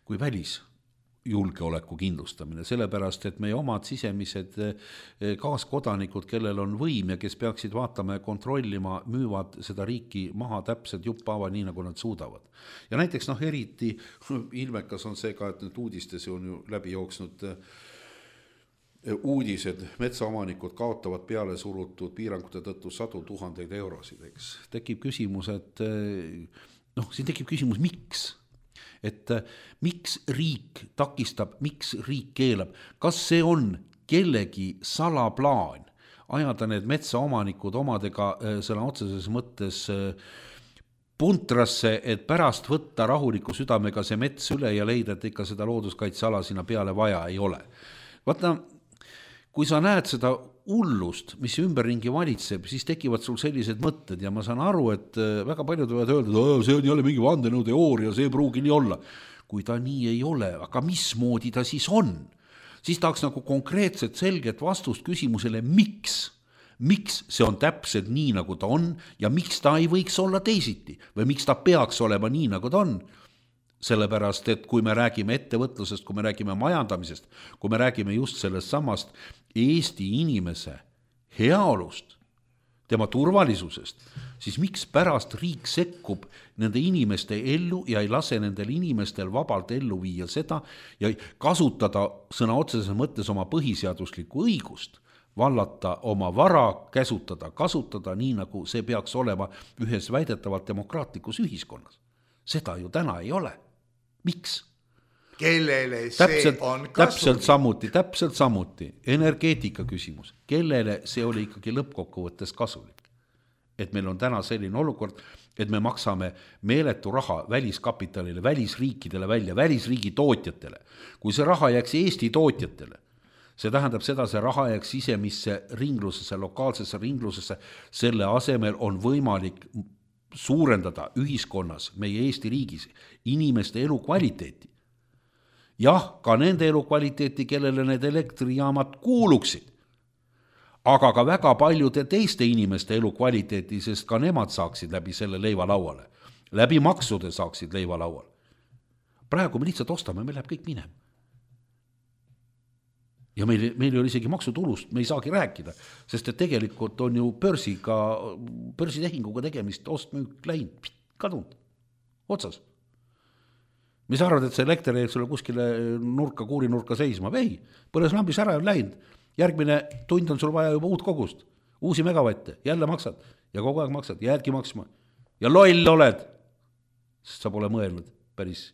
kui välisjulgeoleku kindlustamine, sellepärast, et meie omad sisemised kaaskodanikud, kellel on võim ja kes peaksid vaatama ja kontrollima, müüvad seda riiki maha täpselt juppava, nii nagu nad suudavad. Ja näiteks noh, eriti ilmekas on see ka, et nüüd uudistes on ju läbi jooksnud uudised, metsaomanikud kaotavad peale surutud piirangute tõttu sadu tuhandeid eurosid, eks. Tekib küsimus, et noh, siin tekib küsimus, miks? Et miks riik takistab, miks riik keelab? Kas see on kellegi salaplaan ajada need metsaomanikud omadega selle otseses mõttes puntrasse, et pärast võtta rahuliku südamega see mets üle ja leida, et ikka seda looduskaitseala sinna peale vaja ei ole. Vaata, kui sa näed seda hullust, mis ümberringi valitseb, siis tekivad sul sellised mõtted ja ma saan aru, et väga paljud võivad öelda, et see on jälle mingi vandenõuteooria, see ei pruugi nii olla. Kui ta nii ei ole, aga mismoodi ta siis on? Siis tahaks nagu konkreetset selget vastust küsimusele, miks? Miks see on täpselt nii, nagu ta on ja miks ta ei võiks olla teisiti või miks ta peaks olema nii, nagu ta on? Sellepärast, et kui me räägime ettevõtlusest, kui me räägime majandamisest, kui me räägime just sellest samast Eesti inimese heaolust, tema turvalisusest, siis miks pärast riik sekkub nende inimeste ellu ja ei lase nendel inimestel vabalt ellu viia seda ja kasutada sõna otseses mõttes oma põhiseaduslikku õigust, vallata oma vara, käsutada, kasutada nii, nagu see peaks olema ühes väidetavalt demokraatlikus ühiskonnas. Seda ju täna ei ole. Miks? Kellele see täpselt, on kasulik? Täpselt samuti, täpselt samuti. Energeetika küsimus. Kellele see oli ikkagi lõppkokkuvõttes kasulik? Et meil on täna selline olukord, et me maksame meeletu raha väliskapitalile, välisriikidele välja, välisriigi tootjatele. Kui see raha jääks Eesti tootjatele, see tähendab seda, see raha jääks sisemisse ringlusesse, lokaalsesse ringlusesse, selle asemel on võimalik suurendada ühiskonnas, meie Eesti riigis, inimeste elukvaliteeti. Jah, ka nende elukvaliteeti, kellele need elektrijaamad kuuluksid, aga ka väga paljude teiste inimeste elukvaliteeti, sest ka nemad saaksid läbi selle leiva lauale. Läbi maksude saaksid leiva lauale. Praegu me lihtsalt ostame, meil läheb kõik minema. Ja meil, meil ei ole isegi maksutulust, me ei saagi rääkida, sest et tegelikult on ju börsiga, börsitehinguga tegemist, ostmüük läinud, kadunud, otsas. Mis arvad, et see elekter ei sulle kuskile nurka, kuurinurka seisma? Ei, põles lambis ära ja läinud. Järgmine tund on sul vaja juba uut kogust. uusi megavatte, jälle maksad ja kogu aeg maksad, jäädki maksma ja loll oled, sest sa pole mõelnud päris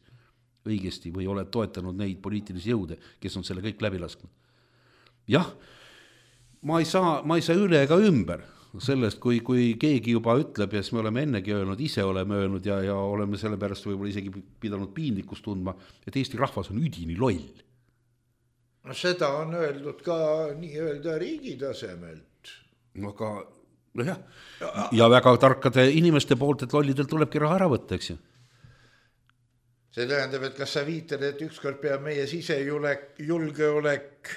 õigesti või oled toetanud neid poliitilisi jõude, kes on selle kõik läbi lasknud. Jah, ma ei saa, ma ei saa üle ega ümber sellest, kui, kui keegi juba ütleb ja siis me oleme ennegi öelnud, ise oleme öelnud ja, ja oleme selle pärast võib-olla isegi pidanud piinlikkust tundma, et Eesti rahvas on üdini loll. No seda on öeldud ka nii-öelda riigi tasemelt. Aga, no jah, ja väga tarkade inimeste poolt, et lollidel tulebki raha ära võtta, eks ju. See tähendab, et kas sa viitad, et ükskord peab meie sisejulek, julgeolek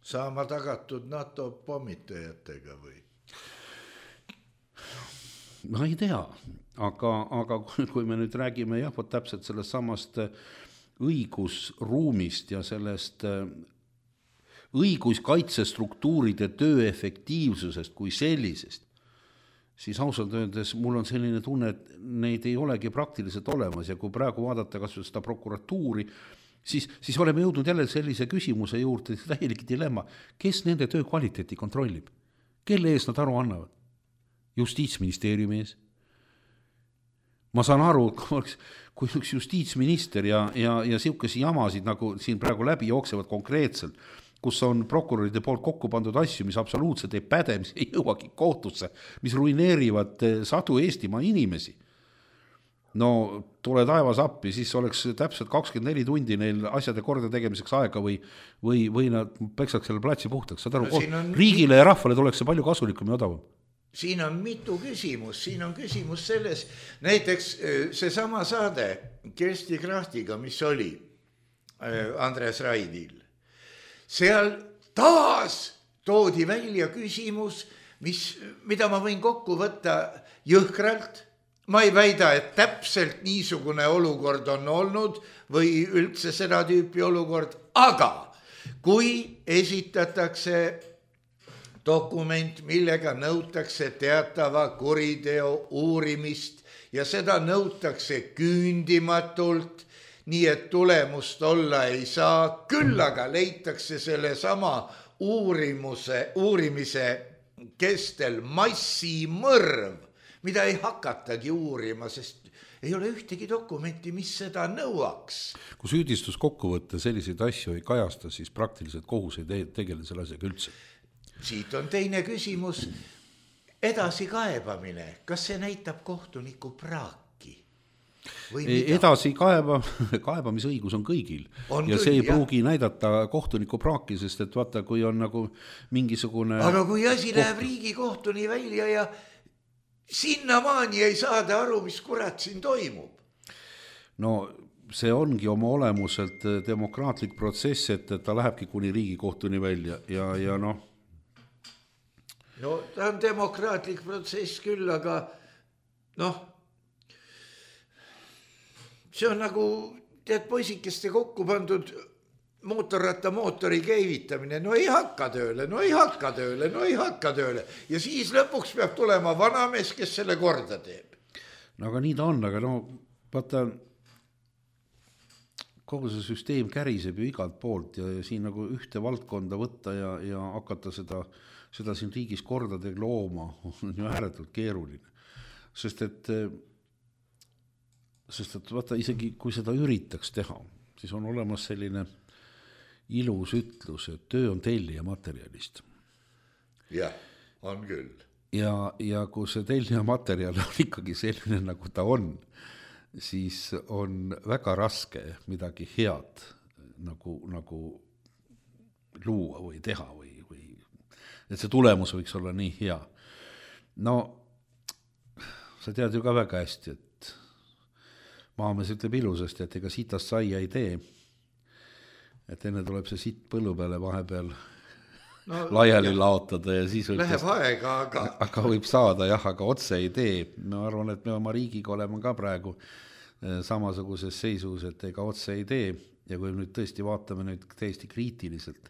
saama tagatud NATO pommitajatega või? Ma ei tea, aga, aga kui me nüüd räägime jah, võt täpselt sellest samast õigusruumist ja sellest õiguskaitsestruktuuride töö efektiivsusest kui sellisest, siis ausalt öeldes mul on selline tunne, et neid ei olegi praktiliselt olemas ja kui praegu vaadata kas seda prokuratuuri, siis, siis oleme jõudnud jälle sellise küsimuse juurde, täielik dilemma, kes nende töö kvaliteeti kontrollib, kelle ees nad aru annavad? Justiitsministeeriumi ees. Ma saan aru, kui üks justiitsminister ja, ja, ja siukesi jamasid, nagu siin praegu läbi jooksevad konkreetselt, kus on prokuröride poolt kokku pandud asju, mis absoluutselt ei päde, mis ei jõuagi kohtusse, mis ruineerivad sadu Eestimaa inimesi. No tule taevas appi, siis oleks täpselt kakskümmend neli tundi neil asjade korda tegemiseks aega või, või, või nad peksaks selle platsi puhtaks. Saad aru, no, on... riigile ja rahvale tuleks see palju kasulikum ja odavam. Siin on mitu küsimus, siin on küsimus selles, näiteks see sama saade Kersti Krahtiga, mis oli Andres Raidil. Seal taas toodi välja küsimus, mis, mida ma võin kokku võtta jõhkralt. Ma ei väida, et täpselt niisugune olukord on olnud või üldse seda tüüpi olukord, aga kui esitatakse dokument, millega nõutakse teatava kuriteo uurimist ja seda nõutakse küündimatult, nii et tulemust olla ei saa, küll aga leitakse selle sama uurimuse, uurimise kestel massimõrv, mida ei hakatagi uurima, sest ei ole ühtegi dokumenti, mis seda nõuaks. Kui süüdistus kokkuvõtte selliseid asju ei kajasta, siis praktiliselt kohus ei tegele selle asjaga üldse. Siit on teine küsimus, edasi kaebamine, kas see näitab kohtuniku praaki? Edasi kaeba, kaebamisõigus on kõigil on ja küll, see ei pruugi jah. Näidata kohtuniku praaki, sest et vaata, kui on nagu mingisugune... Aga kui asi koht... läheb riigikohtuni välja ja sinnamaani ei saada aru, mis kurat siin toimub. No see ongi oma olemuselt demokraatlik protsess, et ta lähebki kuni riigikohtuni välja ja, ja noh, no ta on demokraatlik protsess küll, aga noh, see on nagu tead poisikeste kokku pandud mootorratta mootori käivitamine, no ei hakka tööle, no ei hakka tööle, no ei hakka tööle ja siis lõpuks peab tulema vanamees, kes selle korda teeb. No aga nii ta on, aga no vaata, kogu see süsteem käriseb ju igalt poolt ja, ja siin nagu ühte valdkonda võtta ja, ja hakata seda seda siin riigis kordade looma on ju ääretult keeruline. Sest et, sest et vaata, isegi kui seda üritaks teha, siis on olemas selline ilus ütlus, et töö on tellija materjalist. Jah, on küll. Ja, ja kui see tellija materjal on ikkagi selline, nagu ta on, siis on väga raske midagi head nagu, nagu luua või teha või et see tulemus võiks olla nii hea. No, sa tead ju ka väga hästi, et maamees ütleb ilusasti, et ega sitast saia ei tee. Et enne tuleb see sitt põllu peale vahepeal no, laiali jah. Laotada ja siis võib läheb aega, aga... aga võib saada, jah, aga otse ei tee. Ma arvan, et me oma riigiga oleme ka praegu samasuguses seisus, et ega otse ei tee. Ja kui nüüd tõesti vaatame nüüd täiesti kriitiliselt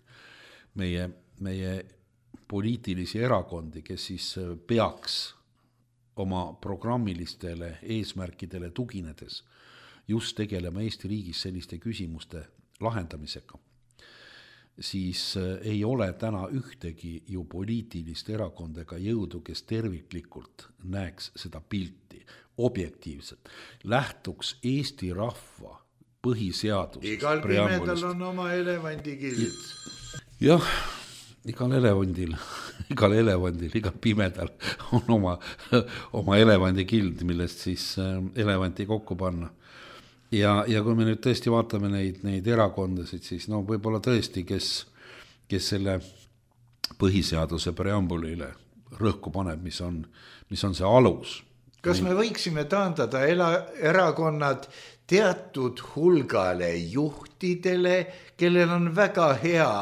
meie, meie poliitilisi erakondi, kes siis peaks oma programmilistele eesmärkidele tuginedes just tegelema Eesti riigis selliste küsimuste lahendamisega, siis ei ole täna ühtegi ju poliitilist erakonda ega jõudu, kes terviklikult näeks seda pilti objektiivselt, lähtuks Eesti rahva põhiseadusest. Igal pimedal on oma elevandikild. Jah, igal elevandil, igal elevandil, igal pimedal on oma, oma elevandikild, millest siis elevanti kokku panna. Ja, ja kui me nüüd tõesti vaatame neid, neid erakondasid, siis no võib-olla tõesti, kes, kes selle põhiseaduse preambulile rõhku paneb, mis on, mis on see alus. Kas me võiksime taandada ela, erakonnad teatud hulgale juhtidele, kellel on väga hea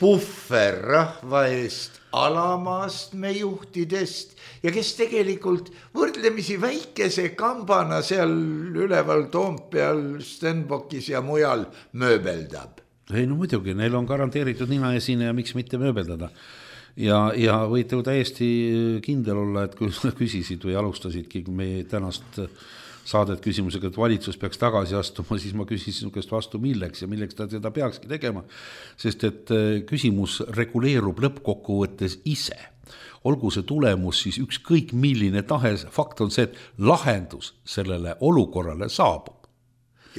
puhver rahva eest alamaastme juhtidest ja kes tegelikult võrdlemisi väikese kambana seal üleval Toompeal, Stenbockis ja mujal mööbeldab? Ei no muidugi, neil on garanteeritud nina esine ja miks mitte mööbeldada. Ja, ja võite ju täiesti kindel olla, et kui küsisid või alustasidki meie tänast saadet küsimusega, et valitsus peaks tagasi astuma, siis ma küsisin nukest vastu milleks ja milleks ta seda peakski tegema, sest et küsimus reguleerub lõppkokkuvõttes ise. Olgu see tulemus siis ükskõik milline tahes, fakt on see, et lahendus sellele olukorrale saabub.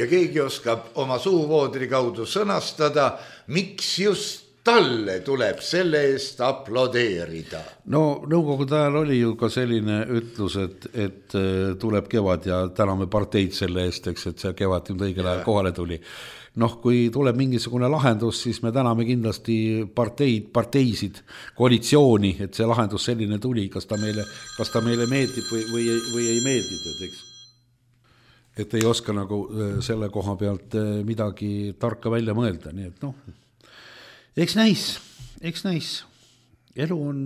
Ja keegi oskab oma suuvoodri kaudu sõnastada, miks just talle tuleb selle eest aplodeerida. No nõukogude ajal oli ju ka selline ütlus, et, et tuleb kevad ja täname parteid selle eest, eks, et see kevad nüüd õigel ajal kohale tuli. Noh, kui tuleb mingisugune lahendus, siis me täname kindlasti parteid, parteisid, koalitsiooni, et see lahendus selline tuli, kas ta meile, kas ta meile meeldib või, või, või ei meeldib, eks. Et ei oska nagu selle koha pealt midagi tarka välja mõelda, nii et noh, eks näis, eks näis. Elu on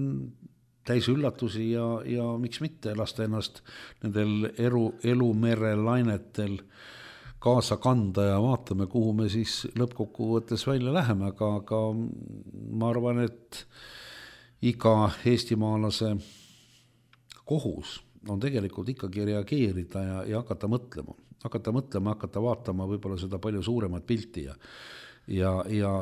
täis üllatusi ja, ja miks mitte lasta ennast nendel elu, elumere lainetel kaasa kanda ja vaatame, kuhu me siis lõppkokkuvõttes välja läheme, aga, aga ma arvan, et iga eestimaalase kohus on tegelikult ikkagi reageerida ja, ja hakata mõtlema, hakata mõtlema, hakata vaatama võib-olla seda palju suuremat pilti ja, ja, ja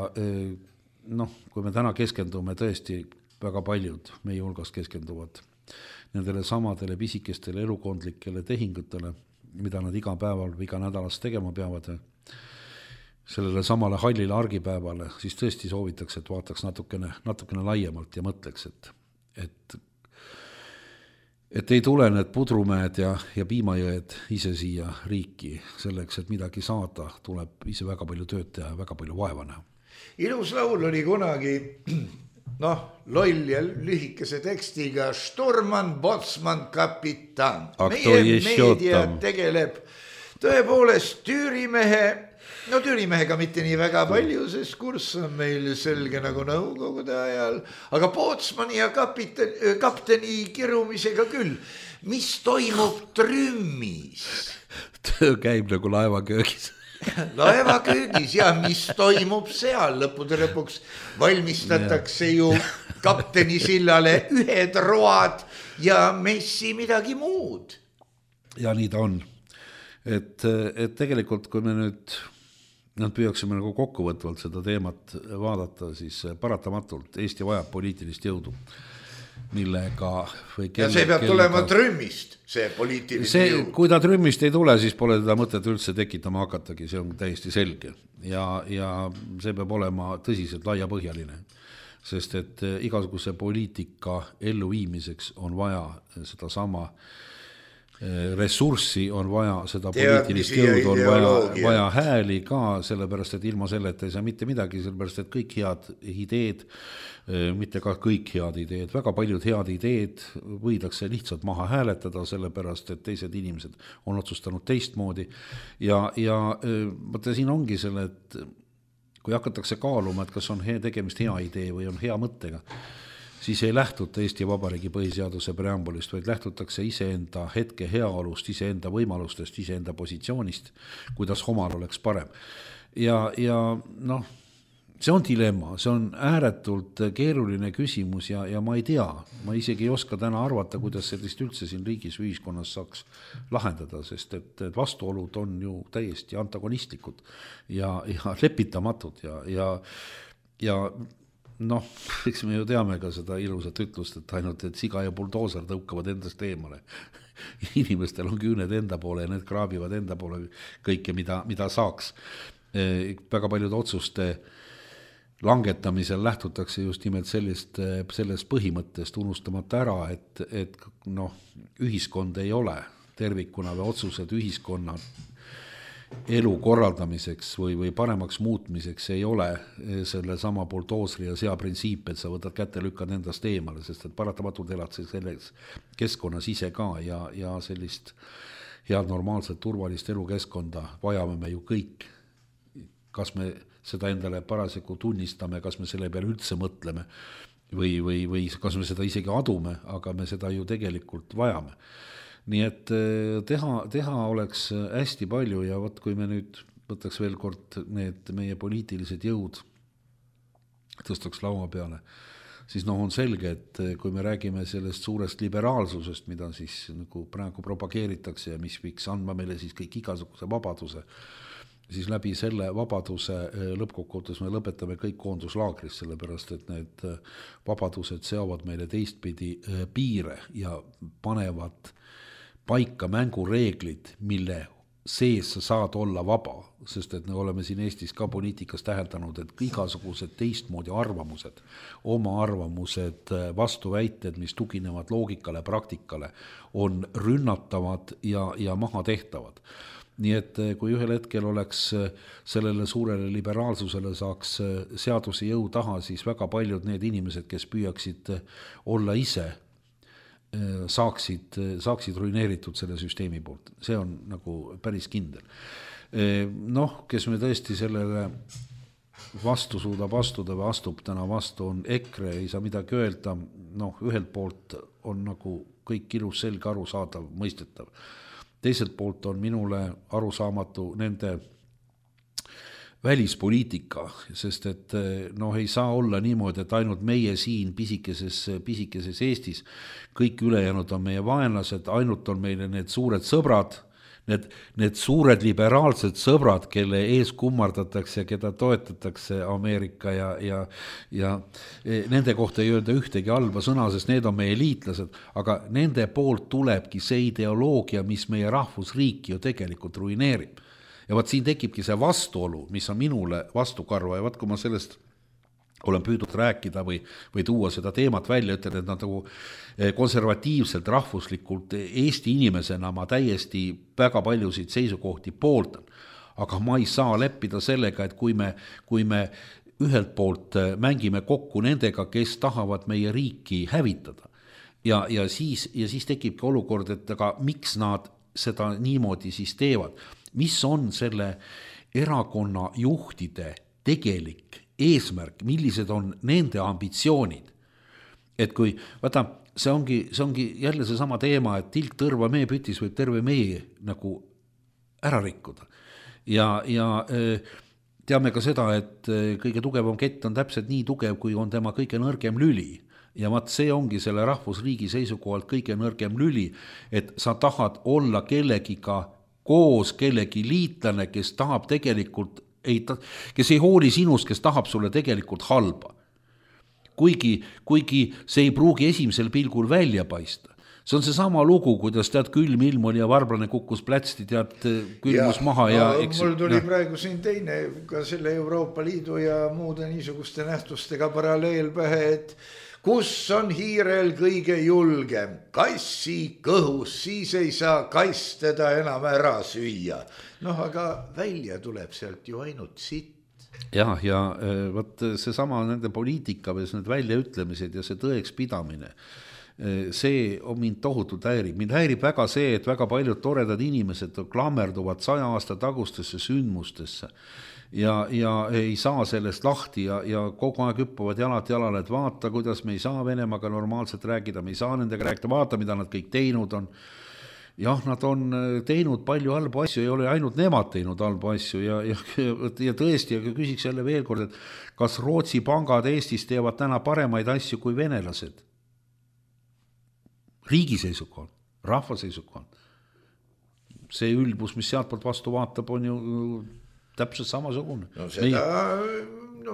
noh, kui me täna keskendume tõesti, väga paljud meie hulgas keskenduvad nendele samadele pisikestele elukondlikele tehingutele, mida nad iga päeval või iga nädalas tegema peavad, sellele samale hallile argipäevale, siis tõesti soovitakse, et vaataks natukene, natukene laiemalt ja mõtleks, et, et, et ei tule need pudrumäed ja, ja piimajõed ise siia riiki selleks, et midagi saada, tuleb ise väga palju tööd teha ja väga palju vaeva näha. Ilus laul oli kunagi, noh, loll ja lühikese tekstiga Sturman, Botsman, kapitan. Meie meedia tegeleb tõepoolest Tüürimehe, no Tüürimehega mitte nii väga palju, sest kurss on meil selge nagu nõukogude ajal, aga Botsmani ja kapiten, kapteni kirumisega küll. Mis toimub Trümmis? Töö käib nagu laevaköögis. Laevaköögis ja mis toimub seal lõppude lõpuks valmistatakse ju kapteni sillale ühed road ja messi midagi muud. Ja nii ta on. Et, et tegelikult kui me nüüd nad püüaksime nagu kokkuvõtvalt seda teemat vaadata, siis paratamatult Eesti vajab poliitilist jõudu, millega või kelle, ja see peab kellega... tulema Trümmist, see poliitiline see, jõud. Kui ta Trümmist ei tule, siis pole teda mõtet üldse tekitama hakatagi, see on täiesti selge ja, ja see peab olema tõsiselt laiapõhjaline, sest et igasuguse poliitika elluviimiseks on vaja seda sama ressurssi, on vaja seda poliitilist jõudu, on vaja, vaja hääli ka, sellepärast et ilma selleta ei saa mitte midagi, sellepärast et kõik head ideed, mitte ka kõik head ideed, väga paljud head ideed võidakse lihtsalt maha hääletada, sellepärast et teised inimesed on otsustanud teistmoodi ja, ja mõte siin ongi selle, et kui hakatakse kaaluma, et kas on hea tegemist hea idee või on hea mõttega, siis ei lähtuta Eesti Vabariigi põhiseaduse preambulist, vaid lähtutakse iseenda hetke heaolust, iseenda võimalustest, iseenda positsioonist, kuidas omal oleks parem. Ja, ja noh, see on dilemma, see on ääretult keeruline küsimus ja, ja ma ei tea, ma isegi ei oska täna arvata, kuidas sellist üldse siin riigis ühiskonnas saaks lahendada, sest et, et vastuolud on ju täiesti antagonistlikud ja, ja lepitamatud ja, ja ja noh, eks me ju teame ka seda ilusat ütlust, et ainult, et siga ja buldooser tõukavad endast eemale. Inimestel on küüned enda poole ja need kraabivad enda poole kõike, mida, mida saaks. Väga paljud otsuste langetamisel lähtutakse just nimelt sellist, sellest põhimõttest, unustamata ära, et, et noh, ühiskond ei ole tervikuna või otsused ühiskonna elu korraldamiseks või, või paremaks muutmiseks ei ole selle sama buldoosri ja sea printsiip, et sa võtad kätte, lükkad endast eemale, sest et paratamatult elad selles keskkonnas ise ka ja, ja sellist head, normaalset, turvalist elukeskkonda vajame me ju kõik. Kas me seda endale parasjagu tunnistame, kas me selle peale üldse mõtleme või, või, või kas me seda isegi adume, aga me seda ju tegelikult vajame. Nii et teha, teha oleks hästi palju ja võt, kui me nüüd võtaks veel kord need meie poliitilised jõud tõstaks laua peale, siis noh, on selge, et kui me räägime sellest suurest liberaalsusest, mida siis nagu praegu propageeritakse ja mis võiks andma meile siis kõik igasuguse vabaduse, siis läbi selle vabaduse lõppkokkuvõttes me lõpetame kõik koonduslaagris, sellepärast et need vabadused seavad meile teistpidi piire ja panevad paika mängureeglid, mille sees sa saad olla vaba, sest et me oleme siin Eestis ka poliitikas täheldanud, et igasugused teistmoodi arvamused, oma arvamused, vastuväited, mis tuginevad loogikale, praktikale, on rünnatavad ja, ja maha tehtavad. Nii et kui ühel hetkel oleks sellele suurele liberaalsusele saaks seaduse jõu taha, siis väga paljud need inimesed, kes püüaksid olla ise, saaksid, saaksid ruineeritud selle süsteemi poolt. See on nagu päris kindel. Noh, kes me tõesti sellele vastu suudab astuda või astub täna vastu, on EKRE, ei saa midagi öelda. Noh, ühelt poolt on nagu kõik ilus selge arusaadav, mõistetav. Teiselt poolt on minule arusaamatu nende välispoliitika, sest et noh, ei saa olla niimoodi, et ainult meie siin pisikeses, pisikeses Eestis, kõik ülejäänud on meie vaenlased, ainult on meile need suured sõbrad, need, need suured liberaalsed sõbrad, kelle ees kummardatakse, keda toetatakse Ameerika ja, ja, ja nende kohta ei öelda ühtegi halba sõna, sest need on meie liitlased, aga nende poolt tulebki see ideoloogia, mis meie rahvusriiki ju tegelikult ruineerib. Ja vaat siin tekibki see vastuolu, mis on minule vastukarva ja vaat kui ma sellest olen püüdnud rääkida või, või tuua seda teemat välja, ütlen, et nad nagu konservatiivselt, rahvuslikult Eesti inimesena ma täiesti väga paljusid seisukohti pooldan. Aga ma ei saa leppida sellega, et kui me, kui me ühelt poolt mängime kokku nendega, kes tahavad meie riiki hävitada ja, ja, siis, ja siis tekibki olukord, et aga miks nad seda niimoodi siis teevad. Mis on selle erakonna juhtide tegelik eesmärk, millised on nende ambitsioonid. Et kui, vaata, see ongi, see ongi jälle see sama teema, et tilk tõrva mee pütis võib terve mee nagu ära rikkuda. Ja, ja teame ka seda, et kõige tugevam kett on täpselt nii tugev, kui on tema kõige nõrgem lüli. Ja vaat see ongi selle rahvusriigi seisukohalt kõige nõrgem lüli, et sa tahad olla kellegiga koos kellegi liitlane, kes tahab tegelikult, ei, kes ei hooli sinust, kes tahab sulle tegelikult halba. Kuigi, kuigi see ei pruugi esimesel pilgul välja paista. See on see sama lugu, kuidas tead külm ilm oli ja varblane kukkus plätsti, tead külmus ja, maha. Ja, eks, mul tuli ja. praegu siin teine ka selle Euroopa Liidu ja muude niisuguste nähtustega paralleel pähe, et kus on hiirel kõige julgem? Kassi kõhus, siis ei saa kass teda enam ära süüa. Noh, aga välja tuleb sealt ju ainult sitt. Ja, ja võt see sama nende poliitika või need väljaütlemised ja see tõeks pidamine, see on mind tohutult häirib. Mind häirib väga see, et väga paljud toredad inimesed klammerduvad saja aasta tagustesse sündmustesse. Ja, ja ei saa sellest lahti ja, ja kogu aeg hüppavad jalad jalale, et vaata, kuidas me ei saa Venemaaga normaalselt rääkida, me ei saa nendega rääkida, vaata, mida nad kõik teinud on. Jah, nad on teinud palju halbu asju, ei ole ainult nemad teinud halbu asju ja, ja, ja tõesti, ja küsiks jälle veel kord, et kas Rootsi pangad Eestis teevad täna paremaid asju kui venelased? Riigi seisukohal, rahva seisukohal. See ülbus, mis sealt poolt vastu vaatab, on ju täpselt samasugune. No seda no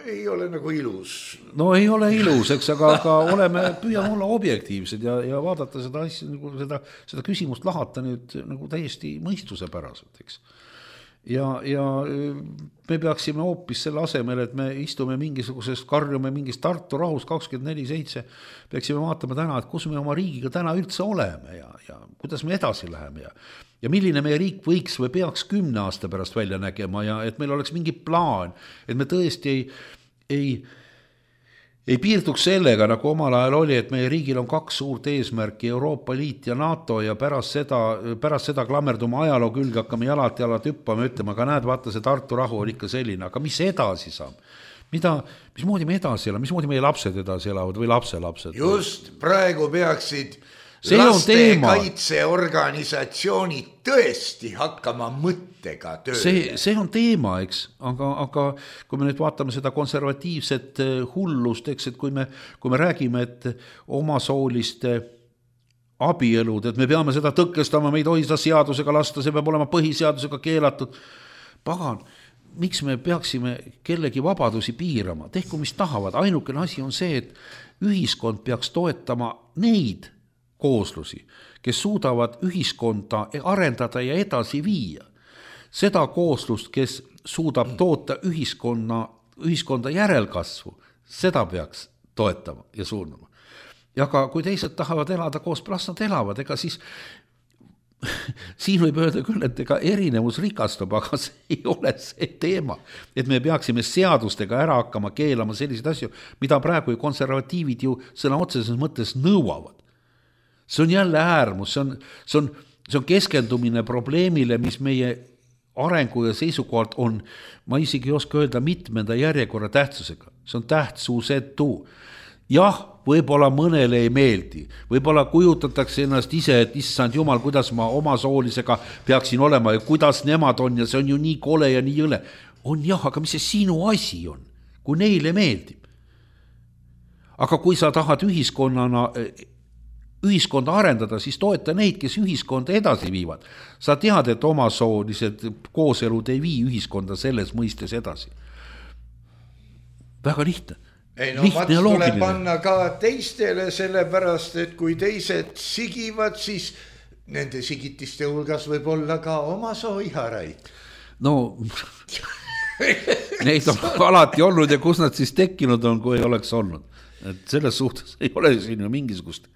ei ole nagu ilus. No ei ole ilus, eks, aga, aga oleme, püüame olla objektiivsed ja, ja vaadata seda asja, nagu seda, seda küsimust lahata nüüd nagu täiesti mõistuse päraselt, eks. Ja, ja me peaksime hoopis selle asemel, et me istume mingisugusest, karjume mingist Tartu rahus kakskümmend neli seitse, peaksime vaatama täna, et kus me oma riigiga täna üldse oleme ja, ja kuidas me edasi läheme ja, ja milline meie riik võiks või peaks kümne aasta pärast välja nägema ja et meil oleks mingi plaan, et me tõesti ei, ei, ei piirduks sellega, nagu omal ajal oli, et meie riigil on kaks suurt eesmärki, Euroopa Liit ja NATO ja pärast seda, pärast seda klammerdume ajaloo külge, hakkame jalad jalad hüppama, ütlema, aga näed, vaata see Tartu rahu on ikka selline, aga mis edasi saab? Mida, mismoodi me edasi elame, mismoodi meie lapsed edasi elavad või lapselapsed? Just praegu peaksid lastekaitseorganisatsioonid tõesti hakkama mõttega tööle. See, see on teema, eks, aga, aga kui me nüüd vaatame seda konservatiivset hullust, eks, et kui me, kui me räägime, et omasooliste abielud, et me peame seda tõkestama, me ei tohi seda seadusega lasta, see peab olema põhiseadusega keelatud. Pagan, miks me peaksime kellegi vabadusi piirama? Tehku, mis tahavad. Ainukene asi on see, et ühiskond peaks toetama neid kooslusi, kes suudavad ühiskonda arendada ja edasi viia. Seda kooslust, kes suudab toota ühiskonna, ühiskonda järelkasvu, seda peaks toetama ja suunama. Ja ka kui teised tahavad elada koos, las nad elavad, ega siis siin võib öelda küll, et ega erinevus rikastab, aga see ei ole see teema, et me peaksime seadustega ära hakkama keelama selliseid asju, mida praegu ju konservatiivid ju sõna otseses mõttes nõuavad. See on jälle äärmus, see on, see on, see on keskendumine probleemile, mis meie arengu ja seisukohalt on, ma isegi ei oska öelda mitmenda järjekorra tähtsusega. See on tähtsusetu. Jah, võib-olla mõnele ei meeldi, võib-olla kujutatakse ennast ise, et issand jumal, kuidas ma oma soolisega peaksin olema ja kuidas nemad on ja see on ju nii kole ja nii jõle. On jah, aga mis see sinu asi on, kui neile meeldib? Aga kui sa tahad ühiskonnana ühiskonda arendada, siis toeta neid, kes ühiskonda edasi viivad. Sa tead, et omasoolised kooselud ei vii ühiskonda selles mõistes edasi. Väga lihtne. Ei no mats tuleb panna ka teistele, sellepärast, et kui teised sigivad, siis nende sigitiste hulgas võib olla ka omasooiharaid. No, neid on alati olnud ja kus nad siis tekkinud on, kui ei oleks olnud. Et selles suhtes ei ole siin ju mingisugust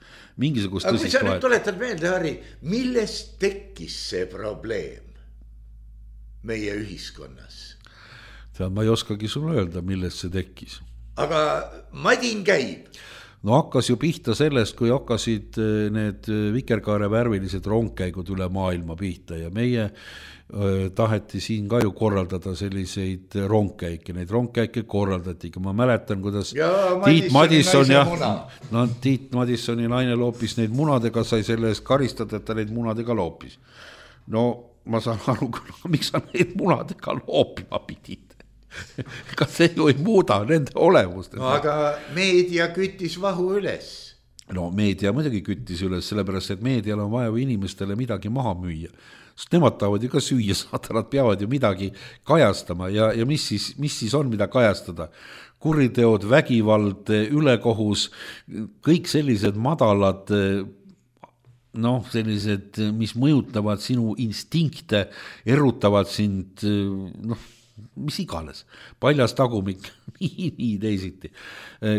mingisugust aga kui sa nüüd tuletad meelde, Harri, millest tekkis see probleem meie ühiskonnas? Tead, ma ei oskagi sulle öelda, millest see tekkis. Aga madin käib. No hakkas ju pihta sellest, kui hakkasid need vikerkaare värvilised rongkäigud üle maailma pihta ja meie taheti siin ka ju korraldada selliseid rongkäike, neid rongkäike korraldati, ma mäletan, kuidas ja, Tiit Madisson ja no, Tiit Madissoni naine loopis neid munadega, sai selle eest karistada, et ta neid munadega loopis. No ma saan aru, miks sa neid munadega loopima pidid? Kas see ju ei muuda nende olemust? No, aga meedia küttis vahu üles. No meedia muidugi küttis üles, sellepärast, et meedial on vaja inimestele midagi maha müüa. Sest nemad tahavad ju ka süüa saada, nad peavad ju midagi kajastama ja, ja mis, siis, mis siis on, mida kajastada? Kuriteod, vägivald, ülekohus, kõik sellised madalad, noh, sellised, mis mõjutavad sinu instinkte, erutavad sind, noh, mis iganes, paljas tagumik, nii, nii teisiti.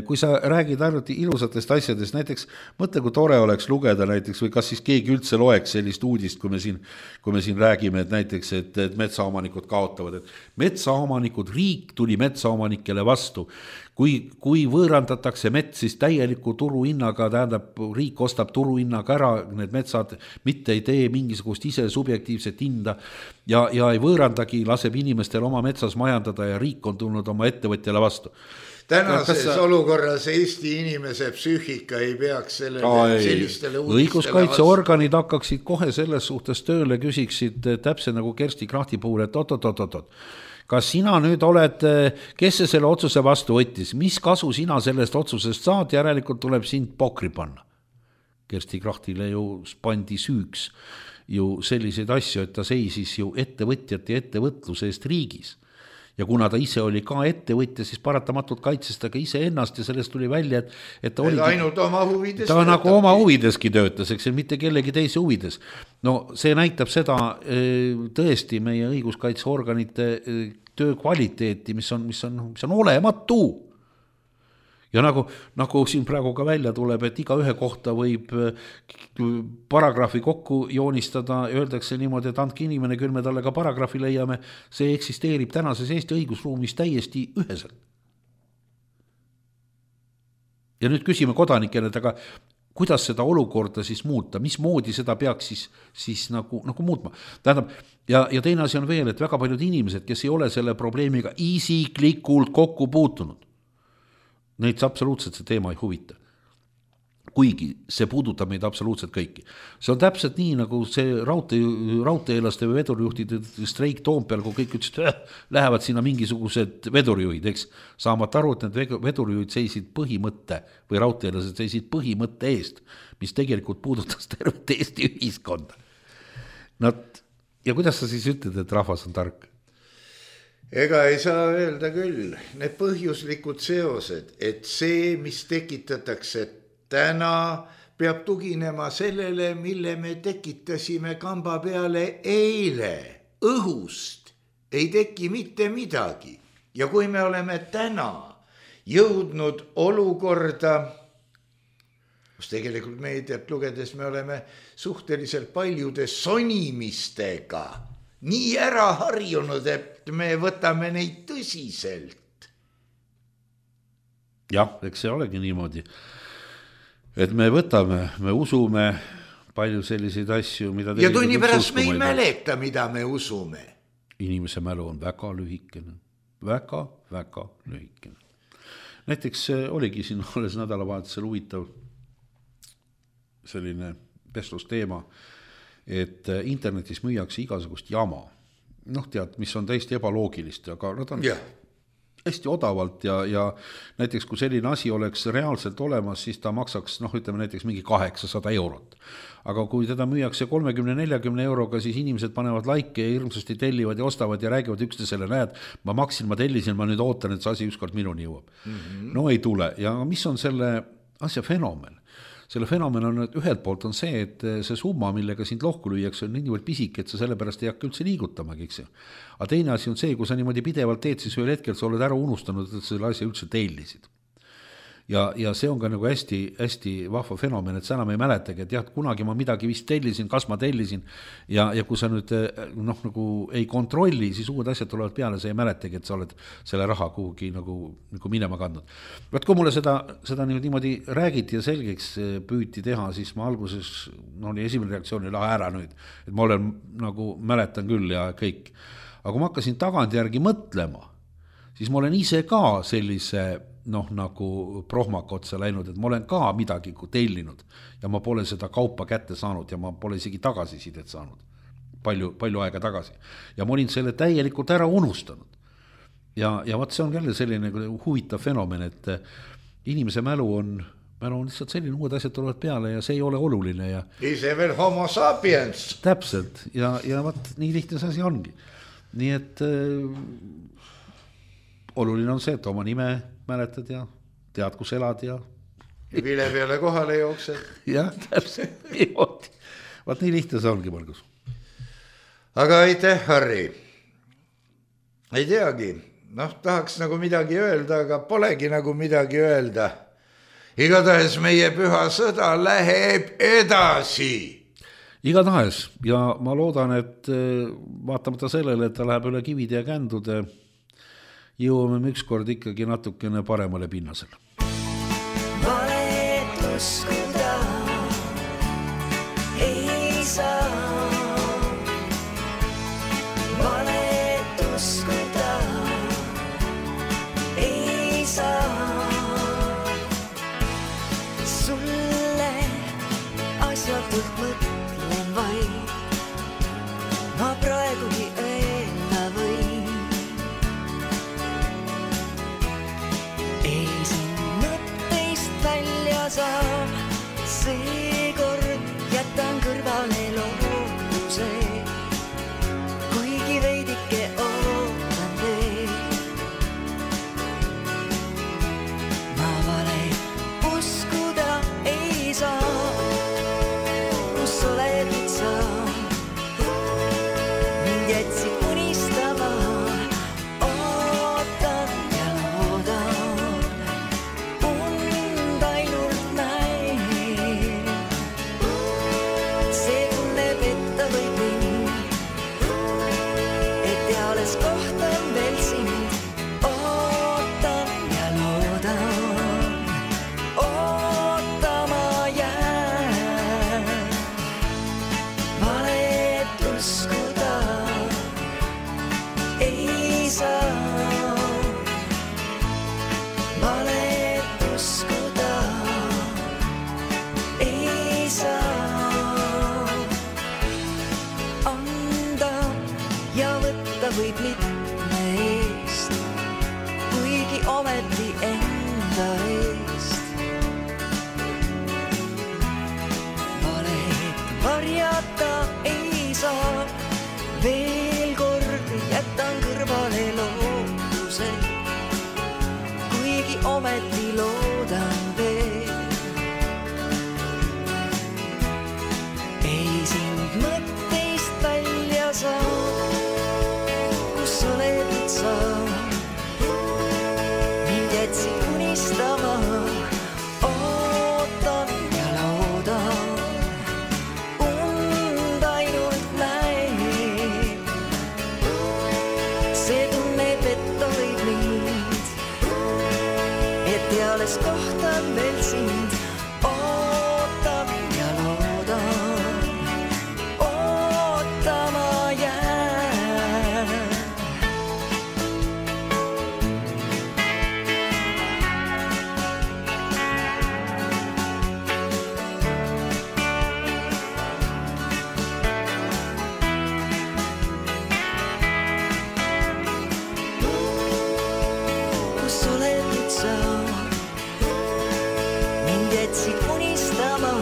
Kui sa räägid ainult ilusatest asjadest, näiteks mõtle, kui tore oleks lugeda näiteks või kas siis keegi üldse loeks sellist uudist, kui me siin, kui me siin räägime, et näiteks, et, et metsaomanikud kaotavad, et metsaomanikud, riik tuli metsaomanikele vastu. Kui, kui võõrandatakse mets, siis täieliku turuhinnaga, tähendab, riik ostab turuhinnaga ära, need metsad mitte ei tee mingisugust ise subjektiivset hinda ja, ja ei võõrandagi, laseb inimestel oma metsas majandada ja riik on tulnud oma ettevõtjale vastu. Tänases sa... olukorras Eesti inimese psüühika ei peaks sellele, Ai, sellistele uudistele õiguskaitseorganid hakkaksid kohe selles suhtes tööle, küsiksid täpselt nagu Kersti Krahti puhul, et oot-oot-oot-oot. Kas sina nüüd oled, kes see selle otsuse vastu võttis, mis kasu sina sellest otsusest saad, järelikult tuleb sind pokri panna. Kersti Krahtile ju pandi süüks ju selliseid asju, et ta seisis ju ettevõtjate ja ettevõtluse eest riigis. ja kuna ta ise oli ka ettevõtja, siis paratamatult kaitses ta ka ise ennast ja sellest tuli välja, et, et ta, et ainult oma huvides ta nagu oma huvideski töötas, eks see mitte kellegi teise huvides. No see näitab seda tõesti meie õiguskaitseorganite töö kvaliteeti, mis on, mis on, mis on olematu. Ja nagu, nagu siin praegu ka välja tuleb, et iga ühe kohta võib paragrahvi kokku joonistada ja öeldakse niimoodi, et andke inimene, küll me talle ka paragrahvi leiame, see eksisteerib tänases Eesti õigusruumis täiesti üheselt. Ja nüüd küsime kodanikele, et aga kuidas seda olukorda siis muuta, mismoodi seda peaks siis, siis nagu, nagu muutma. Tähendab, ja, ja teine asi on veel, et väga paljud inimesed, kes ei ole selle probleemiga isiklikult kokku puutunud, neid absoluutselt see teema ei huvita. Kuigi see puudutab meid absoluutselt kõiki. See on täpselt nii, nagu see raudtee, raudteelaste või vedurijuhtide streik Toompeal, kui kõik ütlesid, äh, lähevad sinna mingisugused vedurijuhid, eks. Saamata aru, et need vedurijuhid seisid põhimõtte või raudteelased seisid põhimõtte eest, mis tegelikult puudutas tervet Eesti ühiskonda. Nad, ja kuidas sa siis ütled, et rahvas on tark? Ega ei saa öelda küll, need põhjuslikud seosed, et see, mis tekitatakse täna, peab tuginema sellele, mille me tekitasime kamba peale eile. Õhust ei teki mitte midagi. Ja kui me oleme täna jõudnud olukorda, kus tegelikult meediat lugedes me oleme suhteliselt paljude sonimistega nii ära harjunud, et me võtame neid tõsiselt. Jah, eks see olegi niimoodi, et me võtame, me usume palju selliseid asju, mida ja tunni pärast me ei mäleta, mida me usume. Inimese mälu on väga lühikene, väga, väga lühikene. Näiteks oligi siin alles nädalavahetusel huvitav selline vestlusteema, et internetis müüakse igasugust jama. Noh, tead, mis on täiesti ebaloogilist, aga nad on yeah. hästi odavalt ja, ja näiteks kui selline asi oleks reaalselt olemas, siis ta maksaks, noh, ütleme näiteks mingi kaheksasada eurot. Aga kui teda müüakse kolmekümne neljakümne euroga, siis inimesed panevad laike ja hirmsasti tellivad ja ostavad ja räägivad üksteisele, näed, ma maksin, ma tellisin, ma nüüd ootan, et see asi ükskord minuni jõuab. Mm-hmm. No ei tule. Ja mis on selle asja fenomen? Selle fenomen on, et ühelt poolt on see, et see summa, millega sind lohku lüüakse, on niivõrd pisik, et sa sellepärast ei hakka üldse liigutamagi, eks. Aga teine asi on see, kui sa niimoodi pidevalt teed, siis ühel hetkel sa oled ära unustanud, et selle asja üldse tellisid. Ja, ja see on ka nagu hästi, hästi vahva fenomen, et sa enam ei mäletagi, et jah, kunagi ma midagi vist tellisin, kas ma tellisin ja, ja kui sa nüüd noh, nagu ei kontrolli, siis uued asjad tulevad peale, sa ei mäletagi, et sa oled selle raha kuhugi nagu, nagu minema kandnud. Vaat kui mulle seda, seda niimoodi räägiti ja selgeks püüti teha, siis ma alguses, no oli esimene reaktsioon, lahe ära nüüd, et ma olen nagu mäletan küll ja kõik. Aga kui ma hakkasin tagantjärgi mõtlema, siis ma olen ise ka sellise noh, nagu prohmaka otsa läinud, et ma olen ka midagi tellinud ja ma pole seda kaupa kätte saanud ja ma pole isegi tagasisidet saanud palju, palju aega tagasi. Ja ma olin selle täielikult ära unustanud. Ja, ja vaat see on jälle selline huvitav fenomen, et inimese mälu on, mälu on lihtsalt selline, uued asjad tulevad peale ja see ei ole oluline. Ja ise veel homo sapiens. Täpselt ja, ja vaat nii lihtne see asi ongi. Nii et äh, oluline on see, et oma nime mäletad ja tead, kus elad ja ja vile peale kohale jooksed. Jah, täpselt niimoodi. Vaat nii lihtne see ongi, Margus. Aga aitäh, Harri. Ei teagi, noh, tahaks nagu midagi öelda, aga polegi nagu midagi öelda. Igatahes meie püha sõda läheb edasi. Igatahes ja ma loodan, et vaatamata sellele, et ta läheb üle kivide ja kändude, jõuame me ükskord ikkagi natukene paremale pinnasele. Valet uskuda ei saa. Valet uskuda ei saa. Sulle asjatult mõtlen vaid, ma praegugi öelda võin. Saab, seekord jätan kõrvale lootuse, kuigi veidike ootan veel. kohtan veel sind, ootan ja loodan, ootama jään. Mind jätsid unistama,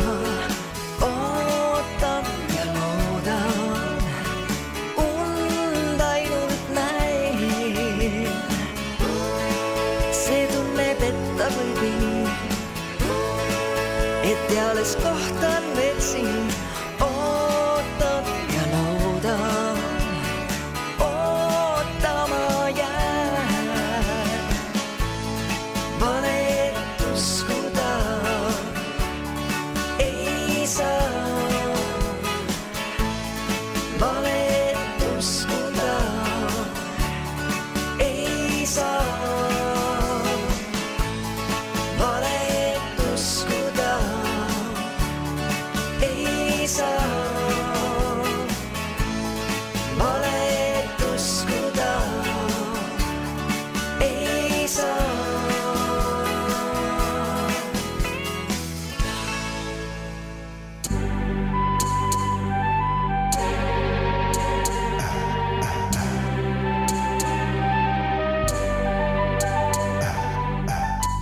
ootan ja loodan, und ainult näin. See tunne petta võib mind, et alles kohtan veel sind, ootan ja loodan, ootama jään. Valet uskuda ei saa, valet uskuda ei saa, valet uskuda ei saa, valet uskuda ei saa.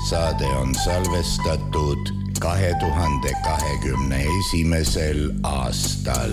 Saade on salvestatud kahe tuhande kahekümne esimesel aastal.